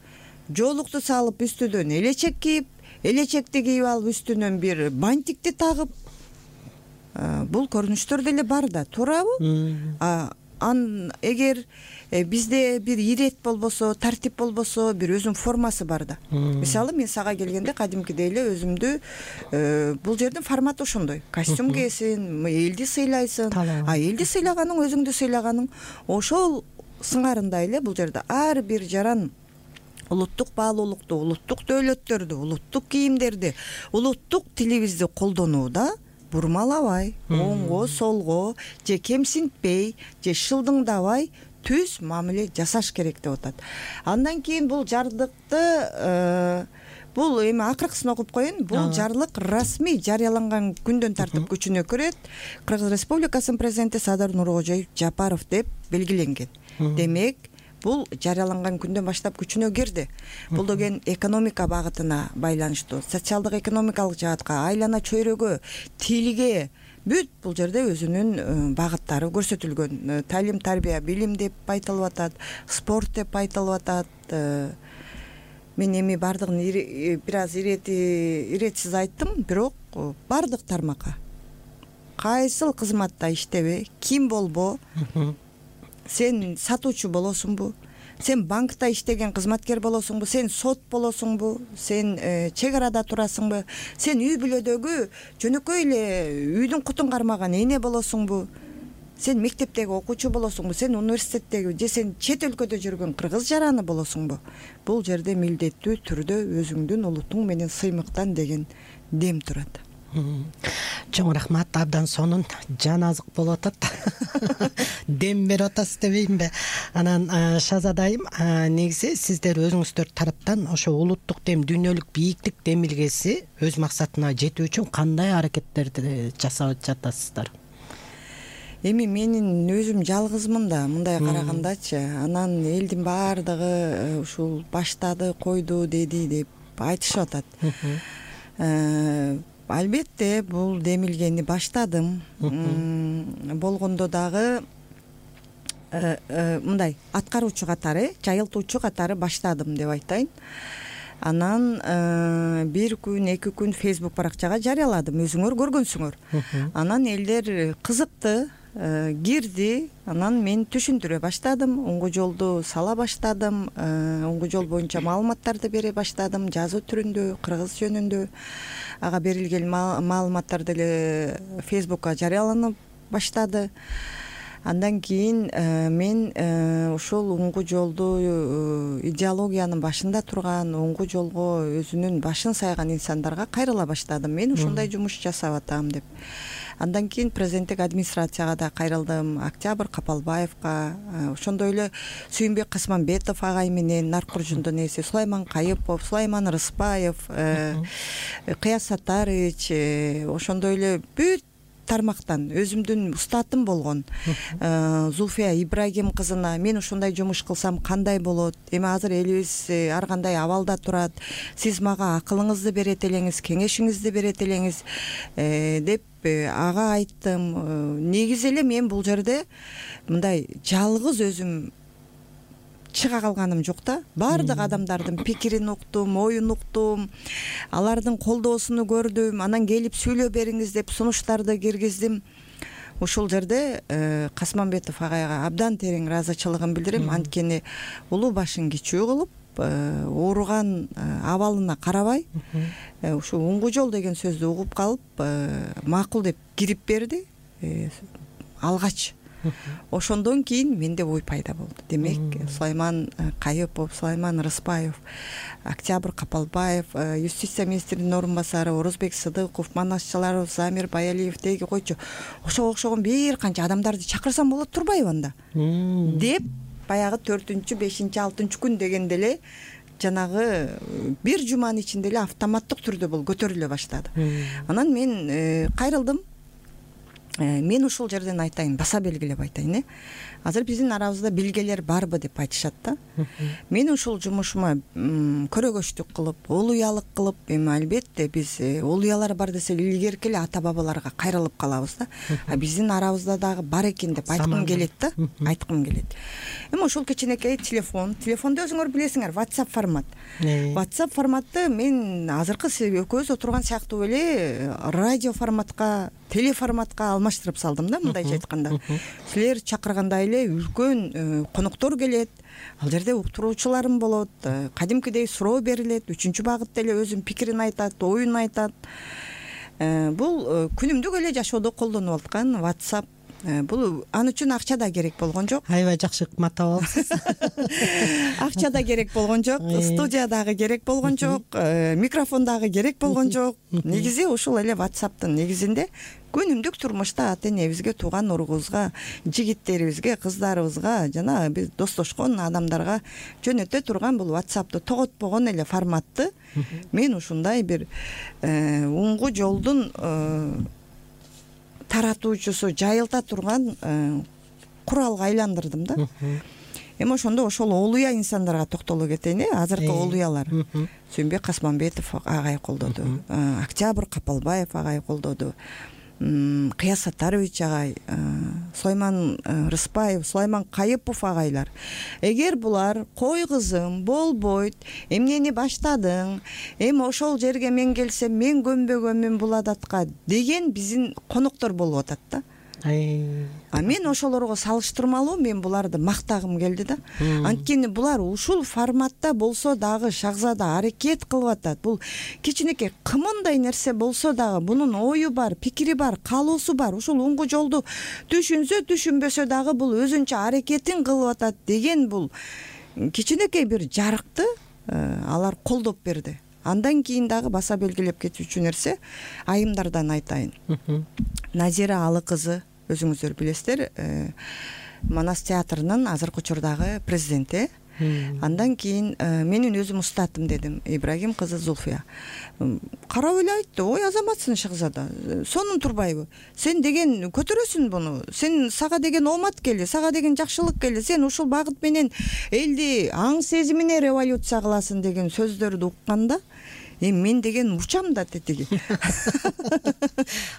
жоолукту салып үстүнөн элечек кийип, элечекти кийип алып үстүнөн бир бантикти тагып, бул көрүнүштөр деле бар да, туурабы? Ан эгер бизде бир ирет болбосо, тартип болбосо, бир өзүнүн формасы бар да. Мисалы, мен сага келгенде кадимкидей эле өзүмдү бул жердин форматы ошондой. Костюм кийесиң, элди сыйлайсың. А элди сыйлаганың, өзүңдү сыйлаганың ошол сыңарындай эле бул жерде ар бир жаран улуттук баалуулукту, улуттук дөөлөттөрдү, улуттук кийимдерди, улуттук тилибизди колдонууда бурмалабай, оңго, солго, же кемсинтпей, же шылдыңдабай түз мамиле жасаш керек деп атат. Андан кийин бул жардыкты бул эми акыркысын окуп коеюн. Бул жарлык расмий жарыяланган күндөн тартып күчүнө кирет. Кыргыз Республикасынын президенти Садыр Нуркожоев Жапаров деп белгиленген. Демек, бул жарыяланган күндөн баштап күчүнө кирди. Бул деген экономика багытына байланыштуу, социалдык экономикалык жаатка, айлана чөйрөгө, тилге бүт бул жерде өзүнүн багыттары көрсөтүлгөн. Талим, тарбия, билим деп айтылып атат, спорт деп айтылып атат. Мен эми бардыгын бир аз ирети иретсиз айттым, бирок бардык тармакка кайсыл кызматта иштебе, ким болбо, сен сатуучу болосуңбу, сен банкта иштеген кызматкер болосуңбу, сен сот болосуңбу, сен чек арада турасыңбы, сен үй бүлөдөгү жөнөкөй эле үйдүн кутун кармаган эне болосуңбу, сен мектептеги окуучу болосуңбу, сен университеттеги же сен чет өлкөдө жүргөн кыргыз жараны болосуңбу, бул жерде милдеттүү түрдө өзүңдүн улутуң менен сыймыктан деген дем турат. Чоң рахмат, абдан сонун жан азык болуп атат. Дем берип атасыз дебейинби? Анан Шазада айым, негизи сиздер өзүңүздөр тараптан ошо улуттук дем, дүйнөлүк бийиктик демилгеси өз максатына жетүү үчүн кандай аракеттерди жасап жатасыздар? Эми менин өзүм жалгызмын да, мындай карагандачы, анан элдин баардыгы ушул баштады, койду, деди деп айтышып атат. Албетте бул демилгени баштадым. Болгондо дагы мындай аткаруучу катары, жайылтуучу катары баштадым деп айтайын. Анан бир күн, эки күн Facebook баракчага жарыяладым, өзүңөр көргөнсүңөр. Анан элдер кызыкты, кирди, анан мен түшүндүрө баштадым, оңго жолду сала баштадым, оңго жол боюнча маалыматтарды бере баштадым, жазуу түрүндө, кыргыз жөнүндө. Ага берилген маалыматтар деле Facebookка жарыяланып баштады. Андан кийин мен ошол оңго жолду, идеологиянын башында турган, оңго жолго өзүнүн башын сайган инсандарга кайрыла баштадым. Мен ушундай жумуш жасап атам деп. Андан кийин президенттик администрацияга да кайрылдым, Октябрь Капалбаевка, ошондой эле Сүйүнбек Касманбетов агай менен Наркуржундун эси Сулайман Кайыпов, Сулайман Рыспаев, Кыяз Саттарович, ошондой эле бүт тармактан өзүмдүн устатым болгон Зулфия Ибрагим кызына мен ушундай жумуш кылсам кандай болот, эми азыр элибиз ар кандай абалда турат, сиз мага акылыңызды берет элеңиз, кеңешиңизди берет элеңиз деп ага айттым. Негизи эле мен бул жерде мындай жалгыз өзүм чыга калганым жок да. Баардык адамдардын пикирин уктум, оюн уктум, алардын колдоосуну көрдүм, анан келип сүйлөп бериңиз деп сунуштарды киргиздим. Ушул жерде Касманбетов агайга абдан терең ыраазычылыгын билдирем, анткени улуу башын кичүү кылып, ооруган абалына карабай, ушу оңго жол деген сөздү угуп калып, макул деп кирип берди алгач. Ошондон кийин менде ой пайда болду. Демек, Сулайман Кайыпов, Сулайман Рыспаев, Октябрь Капалбаев, юстиция министринин орун басары Орозбек Сыдыков, Манасчыларов, Замир Баялиев деги койчу. Ошого окшогон бир канча адамдарды чакырсам болот турбайбы анда? Деп баягы төртүнчү, бешинчи, алтынчы күн дегенде эле жанагы бир жуманын ичинде эле автоматтык түрдө бул көтөрүлө баштады. Анан мен кайрылдым. Мен ушул жерден айтайын, баса белгилеп айтайын, э. Азыр биздин арабызда билгелер барбы деп айтышат да. Мен ушул жумушума көрөгөчтүк кылып, улуялык кылып, эми албетте биз улуялар бар десе илгерки эле ата бабаларга кайрылып калабыз да. А биздин арабызда дагы бар экен деп айткым келет да, айткым келет. Эми ушул кичинекей телефон, телефонду өзүңөр билесиңер, WhatsApp формат. WhatsApp форматты мен азыркы экөөбүз отурган сыяктуу эле радио форматка, телеформатка алмаштырып салдым да, мындайча айтканда. Силер чакыргандай эле үлкөн коноктор келет, ал жерде уктуруучуларым болот, кадимкидей суроо берилет, үчүнчү багытта эле өзүнүн пикирин айтат, оюн айтат. Бул күнүмдүк эле жашоодо колдонуп аткан WhatsApp. Бул ан үчүн акча да керек болгон жок. Аябай жакшы ыкматтап алыпсыз. Акча да керек болгон жок, студия дагы керек болгон жок, микрофон дагы керек болгон жок. Негизи ушул эле WhatsApp'тын негизинде күнүмдүк турмушта ата энебизге, тууган уругубузга, жигиттерибизге, кыздарыбызга, жана биз достошкон адамдарга жөнөтө турган бул WhatsApp'ты тоготпогон эле форматты мен ушундай бир оңго жолдун таратуучусу, жайылта турган куралга айландырдым да. Эми ошондо ошол олуя инсандарга токтоло кетейин, э, азыркы олуялар. Сүйүнбек Касманбетов агай колдоду, Октябрь Капалбаев агай колдоду, Кыяз Саттарович агай, Сулайман Рыспаев, Сулайман Кайыпов агайлар. Эгер булар кой кызым болбойт, эмнени баштадың, эми ошол жерге мен келсем мен көнбөгөнмүн бул адатка деген биздин коноктор болуп атат да. А мен ошолорго салыштырмалуу мен буларды мактагым келди да. Анткени булар ушул форматта болсо дагы Шахзада аракет кылып атат. Бул кичинекей кымындай нерсе болсо дагы бунун ою бар, пикири бар, каалоосу бар. Ушул оңгу жолду түшүнсө, түшүнбөсө дагы бул өзүнчө аракетин кылып атат деген бул кичинекей бир жарыкты алар колдоп берди. Андан кийин дагы баса белгилеп кетүүчү нерсе айымдардан айтайын. Назира Алы кызы өзүңүздөр билесиздер, Манас театрынын азыркы учурдагы президенти. Андан кийин менин өзүм устатым дедим, Ибрагим кызы Зульфия. Карап эле айтты: "Ой, азаматсың Шахзада, сонун турбайбы? Сен деген көтөрөсүң буну. Сен сага деген оомат келди, сага деген жакшылык келди. Сен ушул багыт менен элди аң сезимине революция кыласың" деген сөздөрдү укканда, эми мен деген учам да тетиги.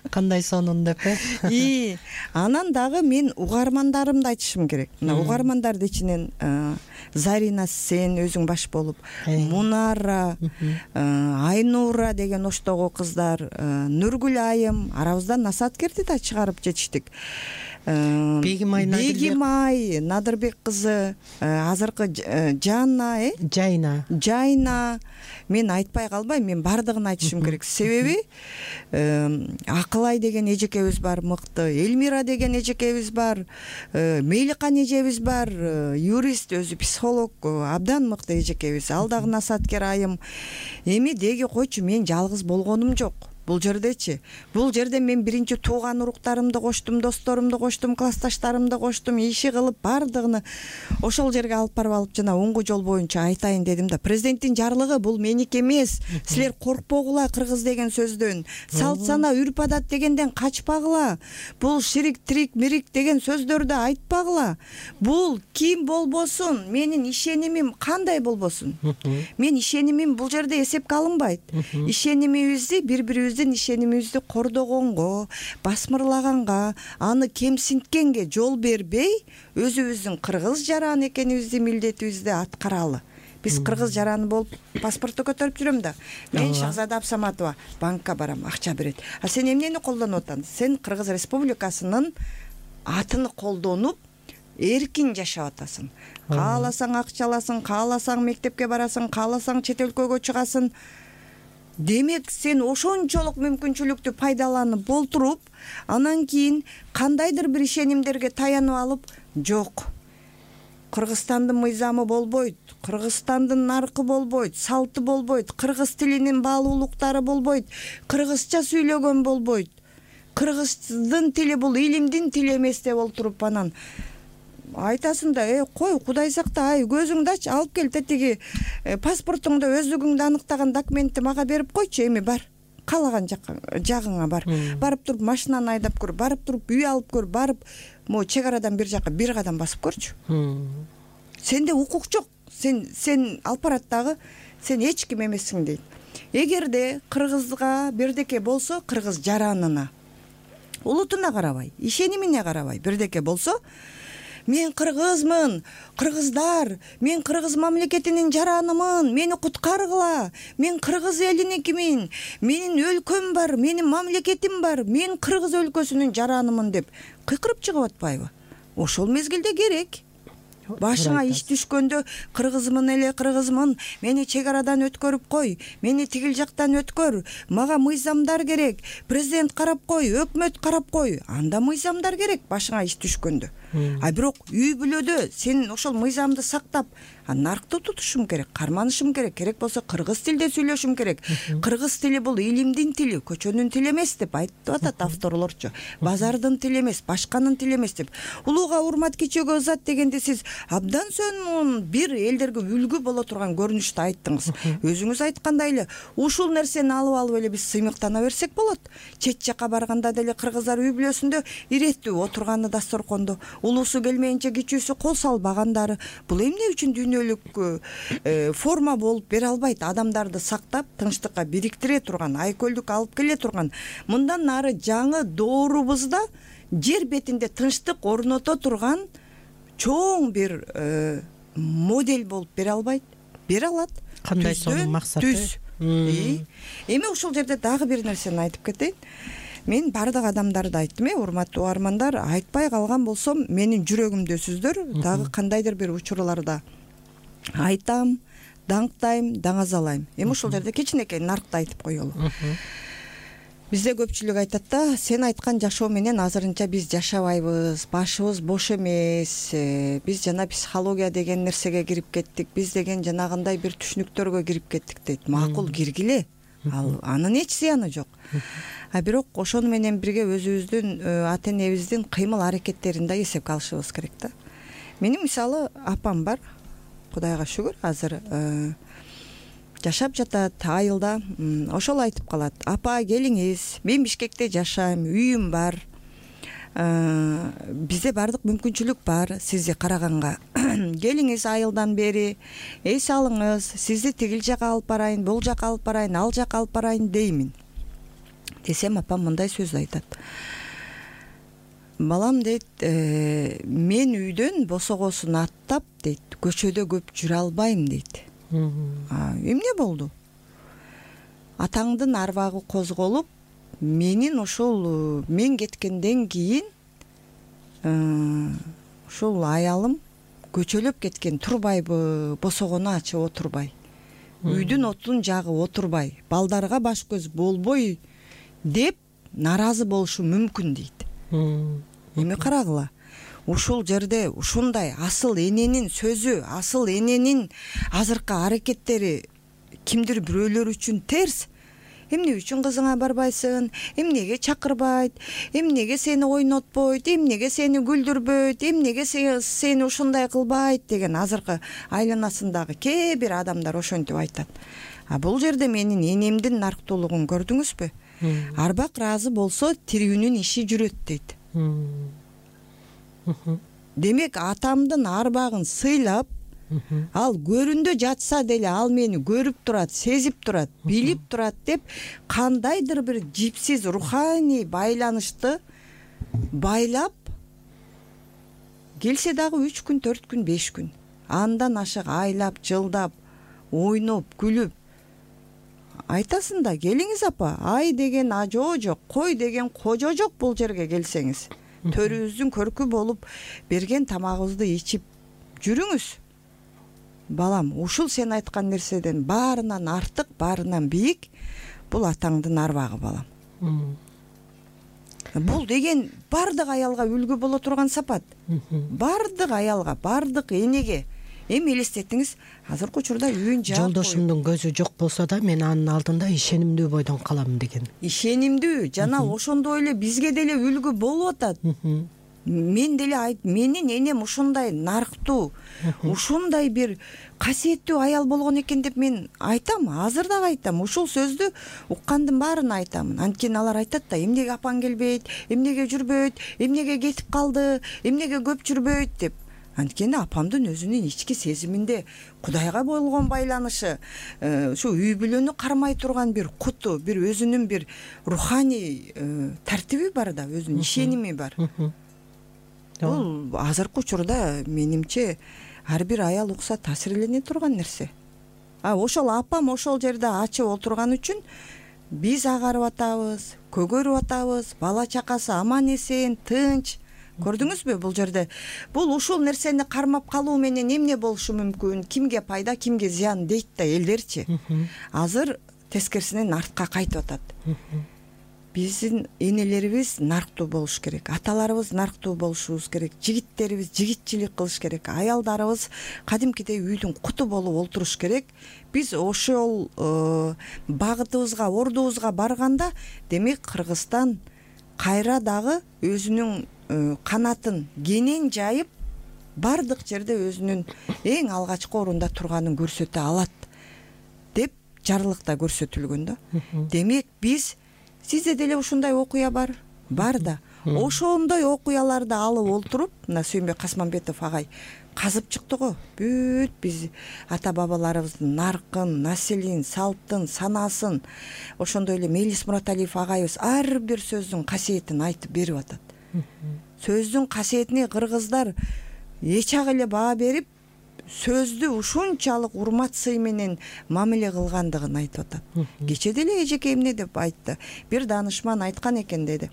Кандай сонун деп э? И анан дагы мен угармандарымды айтышым керек. Мына угармандардын ичинен Зарина сен өзүң баш болуп, Мунара, Айнура деген оштогу кыздар, Нургүл айым, арабыздан Насаткерди да чыгарып жетиштик. Бегимай Бегимай Надырбек кызы, азыркы Жанна, э? Жайна. Жайна. Мен айтпай калбайм, мен бардыгын айтышым керек. Себеби Акылай деген эжекебиз бар, мыкты. Элмира деген эжекебиз бар. Мейликан эжебиз бар, юрист, өзү психолог, абдан мыкты эжекебиз. Ал дагы Насаткер айым. Эми деги койчу, мен жалгыз болгонум жок. Бул жердечи. Бул жерде мен биринчи тууган уруктарымды коштум, досторумду коштум, классташтарымды коштум, иши кылып бардыгын ошол жерге алып барып алып жана оңгу жол боюнча айтайын дедим да. Президенттин жарлыгы бул меники эмес. Силер коркпогула кыргыз деген сөздөн. Салт сана, үрп адат дегенден качпагыла. Бул ширик, трик, мирик деген сөздөрдү айтпагыла. Бул ким болбосун, менин ишенимим кандай болбосун. Мен ишенимим бул жерде эсепке алынбайт. Ишенимибизди бири-бирибиз ишенимибизди кордогонго, басмырлаганга, аны кемсинткенге жол бербей, өзүбүздүн кыргыз жаран экенибизди, милдетибизди аткаралы. Биз кыргыз жараны болуп паспорту көтөрүп жүрөм да. Мен Шахзада Абсаматова банкка барам, акча берет. А сен эмнени колдонуп атасың? Сен Кыргыз Республикасынын атын колдонуп эркин жашап атасың. Кааласаң акча аласың, кааласаң мектепке барасың, кааласаң чет өлкөгө чыгасың. Демек сен ошончолук мүмкүнчүлүктү пайдаланып болтуруп, анан кийин кандайдыр бир ишенимдерге таянып алып, жок. Кыргызстандын мыйзамы болбойт, Кыргызстандын наркы болбойт, салты болбойт, кыргыз тилинин баалуулуктары болбойт, кыргызча сүйлөгөн болбойт. Кыргыздын тили бул илимдин тили эмес деп олтуруп анан айтасың да, э, кой, Кудай сакта, ай, көзүңдү ач, алып кел тетиги паспортуңду, өздүгүңдү аныктаган документти мага берип койчу, эми бар. Каалаган жагыңа бар. Барып туруп машинаны айдап көр, барып туруп үй алып көр, барып могу чек арадан бир жака бир кадам басып көрчү. Сенде укук жок. Сен сен алып барат дагы, сен эч ким эмессиң дейт. Эгерде кыргызга бирдеке болсо, кыргыз жаранына, улутуна карабай, ишенимине карабай бирдеке болсо, мен кыргызмын, кыргыздар, мен кыргыз мамлекетинин жаранымын, мени куткаргыла, мен кыргыз элиникимин, менин өлкөм бар, менин мамлекетим бар, мен кыргыз өлкөсүнүн жаранымын деп кыйкырып чыгып атпайбы? Ошол мезгилде керек. Башыңа иш түшкөндө кыргызмын эле, кыргызмын, мени чек арадан өткөрүп кой, мени тигил жактан өткөр, мага мыйзамдар керек, президент карап кой, өкмөт карап кой, анда мыйзамдар керек башыңа иш түшкөндө. А бирок үй бүлөдө сен ошол мыйзамды сактап, наркты тутушум керек, карманышым керек, керек болсо кыргыз тилде сүйлөшүм керек. Кыргыз тили бул илимдин тили, көчөнүн тили эмес деп айтып атат авторлорчу. Базардын тили эмес, башканын тили эмес деп. Улууга урмат, кичөөгө ызат дегенде сиз абдан сонун бир элдерге үлгү боло турган көрүнүштү айттыңыз. Өзүңүз айткандай эле, ушул нерсени алып алып эле биз сыймыктана берсек болот. Чет жака барганда деле кыргыздар үй бүлөсүндө иреттүү отурганы дасторкондо, улуусу келмейинче кичүүсү кол салбагандары. Бул эмне үчүн дүйнөлүк форма болуп бере албайт? Адамдарды сактап, тынчтыкка бириктире турган, айкөлдүк алып келе турган, мындан нары жаңы доорубузда жер бетинде тынчтык орното турган чоң бир модель болуп бере албайт? Бере алат. Кандай сонун максат? Эми ушул жерде дагы бир нерсени айтып кетейин. мен баардык адамдарды айттым, э урматтуу угармандар, айтпай калган болсом менин жүрөгүмдөсүздөр. Дагы кандайдыр бир учурларда айтам, даңктайм, даңазалайм. Эми ушул жерде кичинекей наркты айтып коелу. Бизде көпчүлүк айтат да, сен айткан жашоо менен азырынча биз жашабайбыз, башыбыз бош эмес, биз жана психология деген нерсеге кирип кеттик, биз деген жанагындай бир түшүнүктөргө кирип кеттик дейт. Макул, киргиле, ал анын эч зыяны жок. А бирок ошону менен бирге өзүбүздүн ата энебиздин кыймыл аракеттерин да эсепке алышыбыз керек да. Менин мисалы апам бар, Кудайга шүгүр, азыр жашап жатат айылда. Ошол айтып калат: апа келиңиз, мен Бишкекте жашайм, үйүм бар, бизде баардык мүмкүнчүлүк бар сизди караганга. Келиңиз айылдан бери, эс алыңыз, сизди тигил жака алып барайын, бул жака алып барайын, ал жака алып барайын деймин десем, апам мындай сөз айтат: балам дейт, мен үйдөн босогосун аттап дейт, көчөдө көп жүрө албайм дейт. Эмне болду? Атаңдын арбагы козголуп, менин ошол мен кеткенден кийин ушул аялым көчөлөп кеткен, турбайбы, босогону ачып отурбай, үйдүн отун жагып отурбай, балдарга баш көз болбой деп нааразы болушу мүмкүн дейт. Эми карагыла, ушул жерде ушундай асыл эненин сөзү, асыл эненин азыркы аракеттери кимдир бирөөлөр үчүн терс. Эмне үчүн кызыңа барбайсың, эмнеге чакырбайт, эмнеге сени ойнотпойт, эмнеге сени күлдүрбөйт, эмнеге сени ушундай кылбайт деген азыркы айланасындагы кээ бир адамдар ошентип айтат. А бул жерде менин энемдин нарктуулугун көрдүңүзбү? Арбак ыраазы болсо тирүүнүн иши жүрөт дейт. Демек атамдын арбагын сыйлап, ал көрүндө жатса деле ал мени көрүп турат, сезип турат, билип турат деп кандайдыр бир жипсиз руханий байланышты байлап келсе дагы үч күн, төрт күн, беш күн, андан ашык айлап, жылдап, ойноп, күлүп айтасың да: келиңиз апа, ай деген ажоо жок, кой деген кожо жок бул жерге келсеңиз. Төрүбүздүн көркү болуп берген тамагыбызды ичип жүрүңүз. Балам, ушул сен айткан нерседен баарынан артык, баарынан бийик бул атаңдын арбагы, балам. Бул деген баардык аялга үлгү боло турган сапат. Баардык аялга, баардык энеге. Эми элестетиңиз, азыркы учурда үйүн жаап, жолдошумдун көзү жок болсо да мен анын алдында ишенимдүү бойдон калам деген. Ишенимдүү жана ошондой эле бизге деле үлгү болуп атат. Мен деле айт, менин энем ушундай нарктуу, ушундай бир касиеттүү аял болгон экен деп мен айтам, азыр дагы айтам. Ушул сөздү уккандын баарына айтамын. Анткени алар айтат да: эмнеге апаң келбейт, эмнеге жүрбөйт, эмнеге кетип калды, эмнеге көп жүрбөйт деп. Анткени апамдын өзүнүн ички сезиминде Кудайга болгон байланышы, ушу үй бүлөнү кармай турган бир куту, бир өзүнүн бир руханий тартиби бар да, өзүнүн ишеними бар. Бул азыркы учурда менимче ар бир аял укса таасирлене турган нерсе. А ошол апам ошол жерде ачып отурган үчүн биз агарып атабыз, көгөрүп атабыз, бала чакасы аман эсен, тынч. Көрдүңүзбү бул жерде? Бул ушул нерсени кармап калуу менен эмне болушу мүмкүн? Кимге пайда, кимге зыян дейт да элдерчи. Азыр тескерисинен артка кайтып атат. Биздин энелерибиз нарктуу болуш керек, аталарыбыз нарктуу болушубуз керек, жигиттерибиз жигитчилик кылыш керек, аялдарыбыз кадимкидей үйдүн куту болуп олтуруш керек. Биз ошол багытыбызга, ордубузга барганда, демек Кыргызстан кайра дагы өзүнүн канатын кенен жайып, баардык жерде өзүнүн эң алгачкы орунда турганын көрсөтө алат деп жарлыкта көрсөтүлгөн да. Демек биз, сизде деле ушундай окуя бар, бар да. Ошондой окуяларды алып олтуруп, мына Сүйүнбек Касманбетов агай казып чыкты го. Бүт биз ата бабаларыбыздын наркын, населин, салттын, санасын, ошондой эле Мелис Мураталиев агайыбыз ар бир сөздүн касиетин айтып берип атат. Сөздүн касиетине кыргыздар эч ак эле баа берип, сөздү ушунчалык урмат сый менен мамиле кылгандыгын айтып атат. Кече деле эжеке эмне деп айтты. Бир данышман айткан экен деди.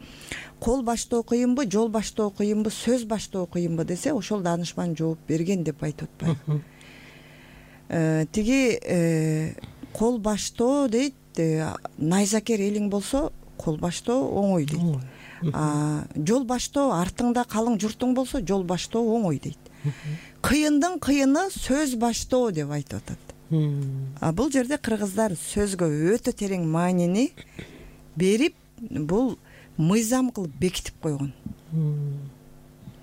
Кол баштоо кыйынбы, жол баштоо кыйынбы, сөз баштоо кыйынбы десе, ошол данышман жооп берген деп айтып атпайбы. Тиги кол баштоо дейт, найзакер элиң болсо кол баштоо оңой дейт. Жол баштоо артыңда калың журтуң болсо жол баштоо оңой дейт. Кыйындын кыйыны сөз баштоо деп айтып атат. А бул жерде кыргыздар сөзгө өтө терең маанини берип, бул мыйзам кылып бекитип койгон.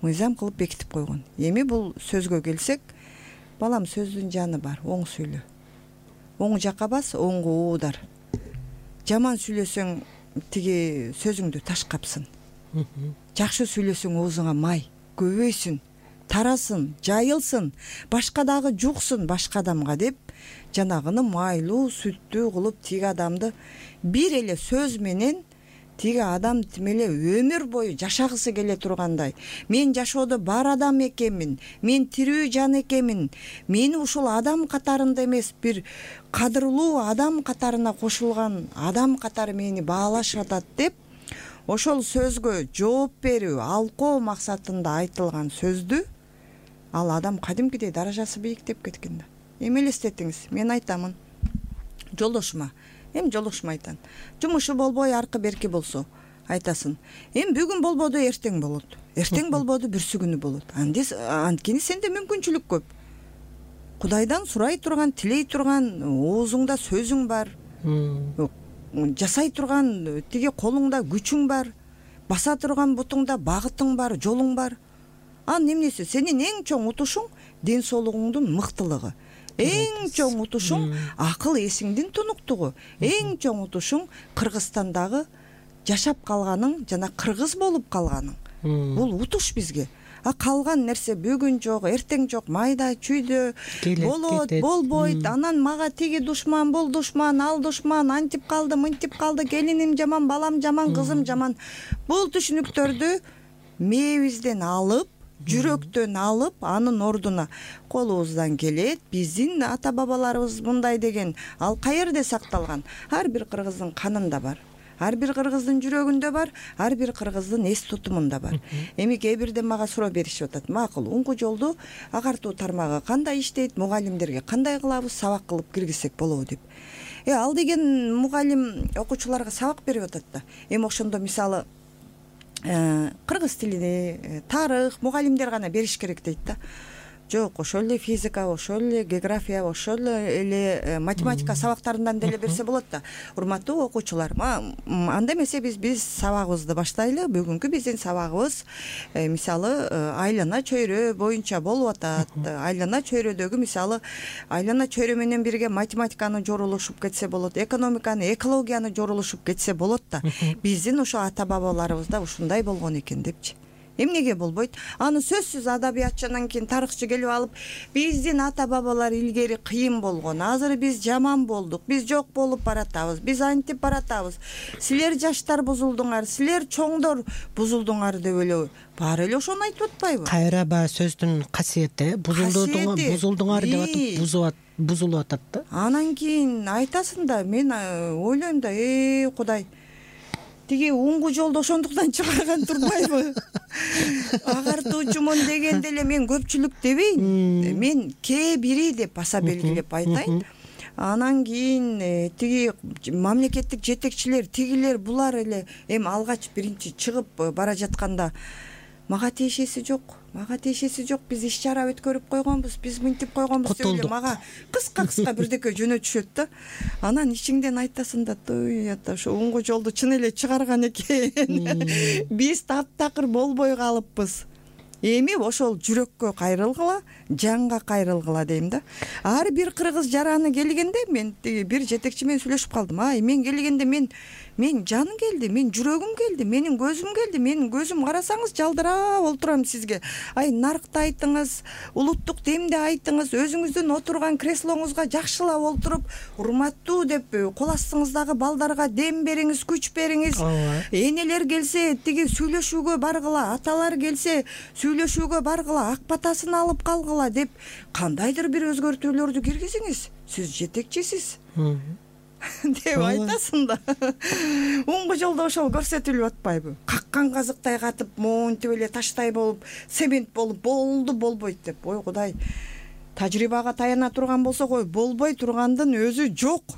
Мыйзам кылып бекитип койгон. Эми бул сөзгө келсек, балам сөздүн жаны бар, оң сүйлө. Оң жакка бас, оңго уудар. Жаман сүйлөсөң тиги сөзүңдү таш капсын. Жакшы сүйлөсөң оозуңа май көбөйсүн, тарасын, жайылсын, башка дагы жуксын башка адамга деп, жанагыны майлуу, сүттүү кылып тиги адамды бир эле сөз менен тиги адам тимеле өмүр бою жашагысы келе тургандай. Мен жашоодо бар адам экенмин, мен тирүү жан экенмин, мени ушул адам катарында эмес, бир кадырлуу адам катарына кошулган адам катары мени баалашып атат деп, ошол сөзгө жооп берүү, алкоо максатында айтылган сөздү ал адам кадимкидей даражасы бийиктеп кеткен да. Эми элестетиңиз, мен айтамын жолдошума, эми жолдошума айтам, жумушу болбой аркы берки болсо, айтасың, эми бүгүн болбоду, эртең болот. Эртең болбоду, бүрсү күнү болот. Анткени сенде мүмкүнчүлүк көп. Кудайдан сурай турган, тилей турган оозуңда сөзүң бар. Жасай турган тиги колуңда күчүң бар. Баса турган бутуңда багытың бар, жолуң бар. Анын эмнеси? Сенин эң чоң утушуң ден соолугуңдун мыктылыгы. Эң чоң утушуң акыл эсиңдин тунуктугу. Эң чоң утушуң Кыргызстандагы жашап калганың, жана кыргыз болуп калганың. Бул утуш бизге. А калган нерсе бүгүн жок, эртең жок, майда чүйдө болот, болбойт. Анан мага тиги душман, бул душман, ал душман, антип калды, мынтип калды, келиним жаман, балам жаман, кызым жаман. Бул түшүнүктөрдү мээбизден алып, жүрөктөн алып, анын ордуна колубуздан келет, биздин ата бабаларыбыз мындай деген, ал каерде сакталган? Ар бир кыргыздын канында бар. Ар бир кыргыздын жүрөгүндө бар, ар бир кыргыздын эс тутумунда бар. Эми кээ бирде мага суроо беришип атат. Макул, уңгу жолду агартуу тармагы кандай иштейт, мугалимдерге кандай кылабыз, сабак кылып киргизсек болобу деп. Э, ал деген мугалим окуучуларга сабак берип атат да. Эми ошондо мисалы кыргыз тилини, тарых, мугалимдер гана бериш керек дейт да. Жок, ошол эле физика, ошол эле география, ошол эле математика сабактарынан деле берсе болот да. Урматтуу окуучулар, анда эмесе биз биз сабагыбызды баштайлы. Бүгүнкү биздин сабагыбыз мисалы айлана чөйрө боюнча болуп атат. Айлана чөйрөдөгү мисалы айлана чөйрө менен бирге математиканы жорулушуп кетсе болот, экономиканы, экологияны жорулушуп кетсе болот да. Биздин ошо ата бабаларыбызда ушундай болгон экен депчи. Эмнеге болбойт? Аны сөзсүз адабиятчынан кийин тарыхчы келип алып, биздин ата бабалар илгери кыйын болгон, азыр биз жаман болдук, биз жок болуп баратабыз, биз антип баратабыз, силер жаштар бузулдуңар, силер чоңдор бузулдуңар деп эле баары эле ошону айтып атпайбы? Кайра баягы сөздүн касиети, бузулдуңар, бузулдуңар деп атып, бузулат, бузулуп атат да. Анан кийин айтасың да, мен ойлойм да, э, Кудай, тиги уңгу жолду ошондуктан чыгарган турбайбы? Агартуучумун дегенде эле мен көпчүлүк дебейин. Мен кээ бири деп баса белгилеп айтайын. Анан кийин тиги мамлекеттик жетекчилер, тигилер, булар эле эми алгач биринчи чыгып бара жатканда мага тиешеси жок, мага тиешеси жок, биз иш чара өткөрүп койгонбуз, биз мынтип койгонбуз деп эле мага кыска-кыска бирдеке жөнөтүшөт да. Анан ичиңден айтасың да, той ата ошо уңгу жолду чын эле чыгарган экен. Биз таптакыр болбой калыппыз. Эми ошол жүрөккө кайрылгыла, жанга кайрылгыла дейм да. Ар бир кыргыз жараны келгенде мен бир жетекчи менен сүйлөшүп калдым. Ай, мен келгенде мен Мен жаным келди, мен жүрөгүм келди, менин көзүм келди, менин көзүм карасаңыз жалдырап олтурам сизге. Ай, наркты айтыңыз, улуттук демди айтыңыз, өзүңүздүн отурган креслоңузга жакшылап олтуруп, урматтуу деп кол астыңыздагы балдарга дем бериңиз, күч бериңиз. Энелер келсе тиги сүйлөшүүгө баргыла, аталар келсе сүйлөшүүгө баргыла, ак батасын алып калгыла деп кандайдыр бир өзгөртүүлөрдү киргизиңиз. Сиз жетекчисиз деп айтасың да. Уңгу жолдо ошол көрсөтүлүп атпайбы? Каккан казыктай катып, монтип эле таштай болуп, цемент болуп, болду болбойт деп. Ой Кудай, тажрыйбага таяна турган болсок, ой, болбой тургандын өзү жок.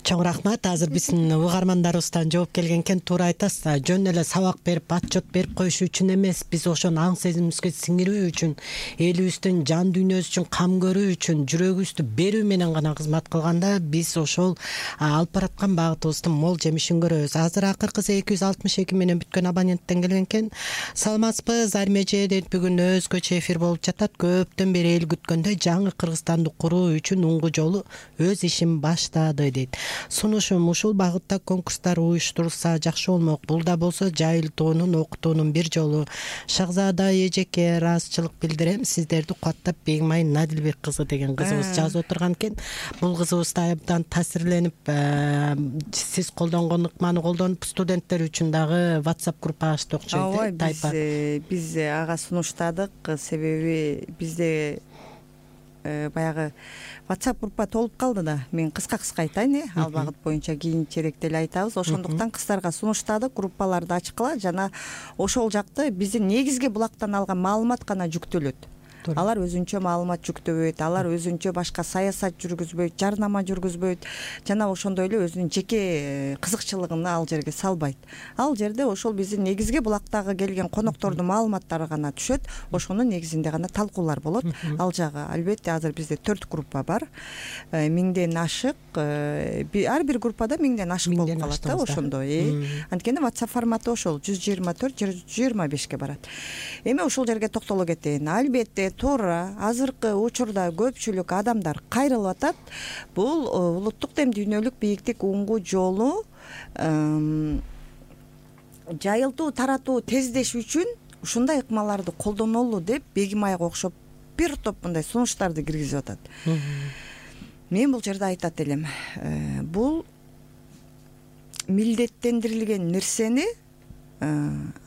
Чоң рахмат. Азыр биздин угармандарыбыздан жооп келген экен. Туура айтасыз. Жөн эле сабак берип, отчет берип коюш үчүн эмес, биз ошону аң сезимибизге сиңирүү үчүн, элибиздин жан дүйнөсү үчүн кам көрүү үчүн, жүрөгүбүздү берүү менен гана кызмат кылганда биз ошол алып бараткан багытыбыздын мол жемишин көрөбүз. Азыр акыркысы эки жүз алтымыш эки менен бүткөн абоненттен келген экен. Саламатсызбы? Армеже дейт, бүгүн өзгөчө эфир болуп жатат. Көптөн бери эл күткөндөй жаңы Кыргызстанды куруу үчүн уңгу жолу өз ишин баштады дейт. Сунушум, ушул багытта конкурстар уюштурулса жакшы болмок. Бул да болсо жайылтуунун, окутуунун бир жолу. Шахзада Эжеке, ыраазычылык билдирем. Сиздерди кубаттап, Бегимай Надилбек кызы деген кызыбыз жазып отурган экен. Бул кызыбыз да абдан таасирленип, сиз колдонгон ыкманы колдонуп, студенттер үчүн дагы WhatsApp группа ачты окшойт. Ооба, биз биз ага сунуштадык. Себеби бизде баягы WhatsApp группа толуп калды да. Мен кыска-кыска айтайын, э, ал багыт боюнча кийинчерээк эле айтабыз. Ошондуктан кыздарга сунуштадык, группаларды ачкыла, жана ошол жакты биздин негизги булактан алган маалымат гана жүктөлөт. Алар өзүнчө маалымат жүктөбөйт, алар өзүнчө башка саясат жүргүзбөйт, жарнама жүргүзбөйт, жана ошондой эле өзүнүн жеке кызыкчылыгын ал жерге салбайт. Ал жерде ошол биздин негизги булактагы келген коноктордун маалыматтары гана түшөт, ошонун негизинде гана талкуулар болот. Ал жагы албетте азыр бизде төрт группа бар. Миңден ашык, ар бир группада миңден ашык болуп калат да ошондой. Анткени WhatsApp форматы ошол жүз жыйырма төрт жүз жыйырма бешке барат. Эми ошол жерге токтоло кетейин. Албетте туура азыркы учурда көпчүлүк адамдар кайрылып атат. Бул улуттук дем дүйнөлүк бийиктик уңгу жолу жайылтуу, таратуу, тездеш үчүн ушундай ыкмаларды колдонолу деп Бегимайга окшоп бир топ мындай сунуштарды киргизип атат. Мен бул жерде айтат элем, бул милдеттендирилген нерсени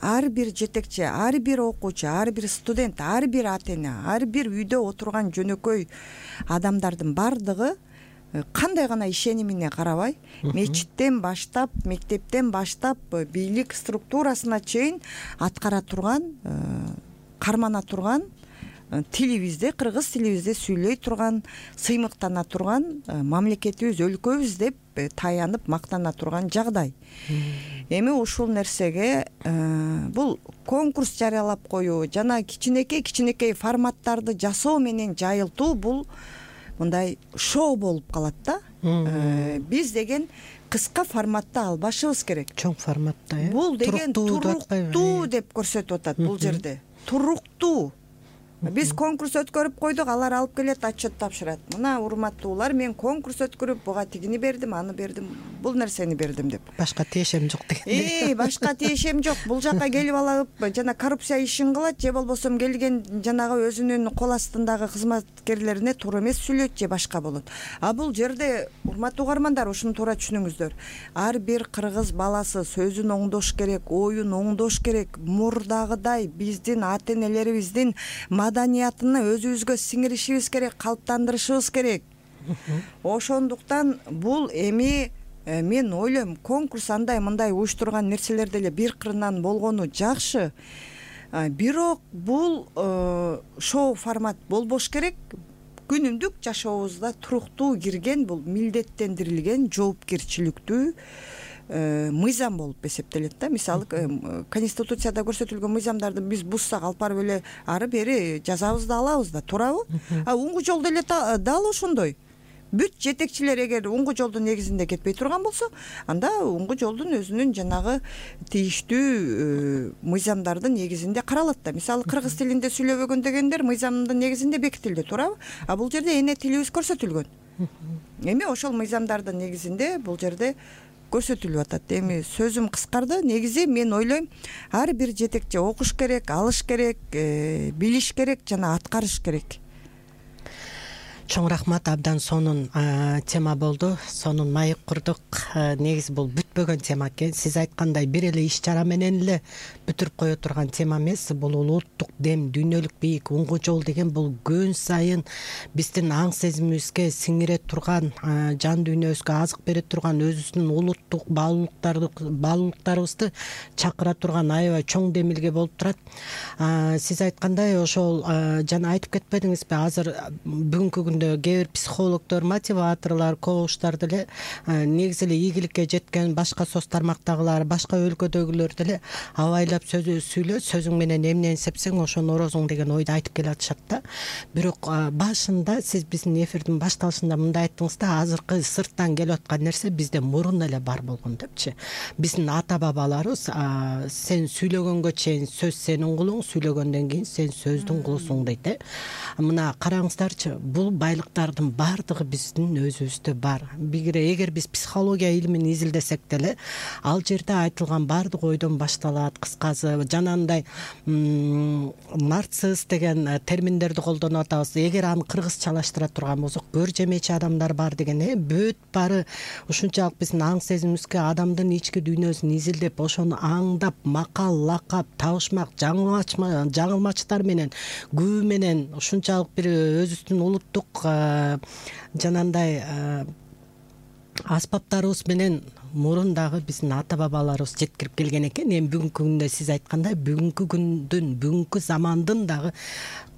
ар бир жетекчи, ар бир окуучу, ар бир студент, ар бир ата эне, ар бир үйдө отурган жөнөкөй адамдардын бардыгы кандай гана ишенимине карабай, мечиттен баштап, мектептен баштап, бийлик структурасына чейин аткара турган, кармана турган, тилибизде, кыргыз тилибизде сүйлөй турган, сыймыктана турган мамлекетибиз, өлкөбүз деп таянып мактана турган жагдай. Эми ушул нерсеге бул конкурс жарыялап коюу жана кичинекей кичинекей форматтарды жасоо менен жайылтуу бул мындай шоу болуп калат да. Биз деген кыска форматта албашыбыз керек. Чоң форматта, э? Бул деген туруктуу деп көрсөтүп атат бул жерде. Туруктуу. Биз конкурс өткөрүп койдук, алар алып келет, отчет тапшырат. Мына урматтуулар, мен конкурс өткөрүп, буга тигини бердим, аны бердим, бул нерсени бердим деп. Башка тиешем жок деген. Э, башка тиешем жок. Бул жака келип алып, жана коррупция ишин кылат, же болбосо келген жанагы өзүнүн кол астындагы кызматкерлерине туура эмес сүйлөйт, же башка болот. А бул жерде, урматтуу угармандар, ушуну туура түшүнүңүздөр. Ар бир кыргыз баласы сөзүн оңдош керек, оюн оңдош керек. Мурдагыдай биздин ата энелерибиздин маданиятыны өзүбүзгө сиңиришибиз керек, калыптандырышыбыз керек. Ошондуктан бул эми мен ойлойм, конкурс андай мындай уюштурган нерселер деле бир кырынан болгону жакшы. Бирок бул шоу формат болбош керек. Күнүмдүк жашообузда туруктуу кирген, бул милдеттендирилген, жоопкерчиликтүү мыйзам болуп эсептелет да. Мисалы, конституцияда көрсөтүлгөн мыйзамдарды биз буссак, алып барып эле ары бери жазабыз да алабыз да, туурабы? А уңгу жол деле дал ошондой. Бүт жетекчилер эгер уңгу жолдун негизинде кетпей турган болсо, анда уңгу жолдун өзүнүн жанагы тийиштүү мыйзамдардын негизинде каралат да. Мисалы, кыргыз тилинде сүйлөбөгөн дегендер мыйзамдын негизинде бекитилди, туурабы? А бул жерде эне тилибиз көрсөтүлгөн. эми ошол мыйзамдардын негизинде бул жерде көрсөтүлүп атат. Эми сөзүм кыскарды. Негизи мен ойлойм, ар бир жетекчи окуш керек, алыш керек, билиш керек жана аткарыш керек. Чоң рахмат, абдан сонун тема болду. Сонун маек курдук. Негизи бул бүтпөгөн тема экен. Сиз айткандай бир эле иш чара менен эле бүтүрүп кое турган тема эмес. Бул улуттук дем, дүйнөлүк бийик, уңгу жол деген бул күн сайын биздин аң сезимибизге сиңире турган, жан дүйнөбүзгө азык бере турган, өзүбүздүн улуттук баалуулуктарды баалуулуктарыбызды чакыра турган аябай чоң демилге болуп турат. Сиз айткандай ошол жана айтып кетпедиңизби, азыр бүгүнкү кээ бир психологдор, мотиваторлор, коучтар деле негизи эле ийгиликке жеткен башка соц тармактагылар, башка өлкөдөгүлөр деле абайлап сүйлө, сөзүң менен эмнени сепсең ошону орозуң деген ойду айтып келатышат да. Бирок башында сиз биздин эфирдин башталышында мындай айттыңыз да, азыркы сырттан келип аткан нерсе бизде мурун эле бар болгон депчи. Биздин ата бабаларыбыз сен сүйлөгөнгө чейин сөз сенин кулуң, сүйлөгөндөн кийин сен сөздүн кулусуң дейт э. Мына караңыздарчы, бул байлыктардын баардыгы биздин өзүбүздө бар. Эгер биз психология илимин изилдесек деле, ал жерде айтылган баардык ойдон башталат. Кыскасы, жанагындай нарцисс деген терминдерди колдонуп атабыз. Эгер аны кыргызчалаштыра турган болсок, көр жемечи адамдар бар деген э, бүт бары ушунчалык биздин аң сезимибизге, адамдын ички дүйнөсүн изилдеп, ошону аңдап, макал, лакап, табышмак, жаңылмачтар менен, күбө менен ушунчалык бир өзүбүздүн улуттук жанандай аспаптарыбыз менен мурун дагы биздин ата бабаларыбыз жеткирип келген экен. Эми бүгүнкү күндө сиз айткандай, бүгүнкү күндүн, бүгүнкү замандын дагы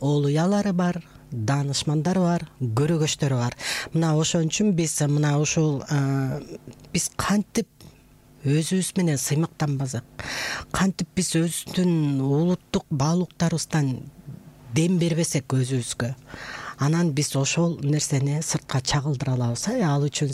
олуялары бар, даанышмандары бар, көрөгөчтөрү бар. Мына ошон үчүн биз мына ушул биз кантип өзүбүз менен сыймыктанбасак, кантип биз өзүбүздүн улуттук баалуулуктарыбыздан дем бербесек өзүбүзгө, анан биз ошол нерсени сыртка чагылдыра алабыз. Ал үчүн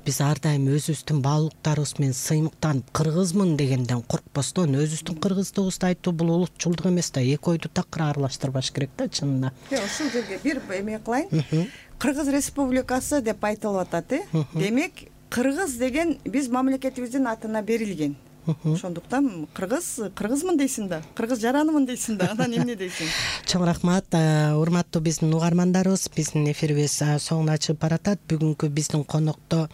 биз ар дайым өзүбүздүн баалуулуктарыбыз менен сыймыктанып, кыргызмын дегенден коркпостон, өзүбүздүн кыргыздыгыбызды айтуу бул улутчулдук эмес да, эки ойду такыр аралаштырбаш керек да, чынында. Ушул жерге бир эме кылайын. Кыргыз Республикасы деп айтылып атат, э. Демек, кыргыз деген биз мамлекетибиздин атына берилген. Ошондуктан кыргыз, кыргызмын дейсиң да, кыргыз жаранымын дейсиң да, анан эмне дейсиң? Чоң рахмат, урматтуу биздин угармандарыбыз, биздин эфирибиз соңуна чыгып баратат. Бүгүнкү биздин конокто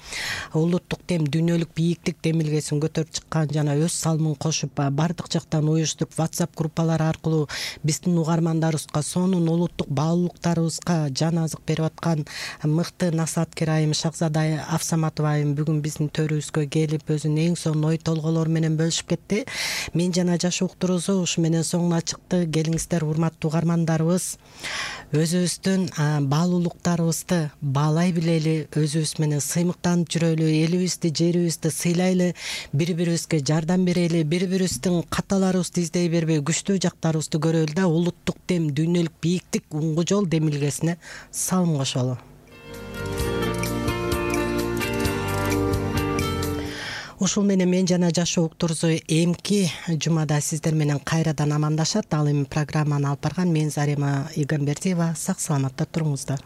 улуттук дем, дүйнөлүк бийиктик демилгесин көтөрүп чыккан жана өз салымын кошуп, бардык жактан уюштуруп, WhatsApp группалары аркылуу биздин угармандарыбызга, сонун улуттук баалуулуктарыбызга жан азык берип аткан мыкты насааткер айым Шахзада Афсаматова айым бүгүн биздин төрүбүзгө келип, өзүнүн эң сонун ой толголору менен бөлүшүп кетти. Мен жана жаш уктуруусу ушу менен соңуна чыкты. Келиңиздер, урматтуу угармандарыбыз. Өзүбүздүн баалуулуктарыбызды баалай билели, өзүбүз менен сыймыктанып жүрөлү, элибизди, жерибизди сыйлайлы, бири-бирибизге жардам берели, бири-бирибиздин каталарыбызды издей бербей, күчтүү жактарыбызды көрөлү да, улуттук дем, дүйнөлүк бийиктик, уңгу жол демилгесине салым кошолу. Ушул менен мен жана жашоо уктуруусу эмки жумада сиздер менен кайрадан амандашат. Ал эми программаны алып барган мен Зарема Игамбердиева. Сак саламатта туруңуздар.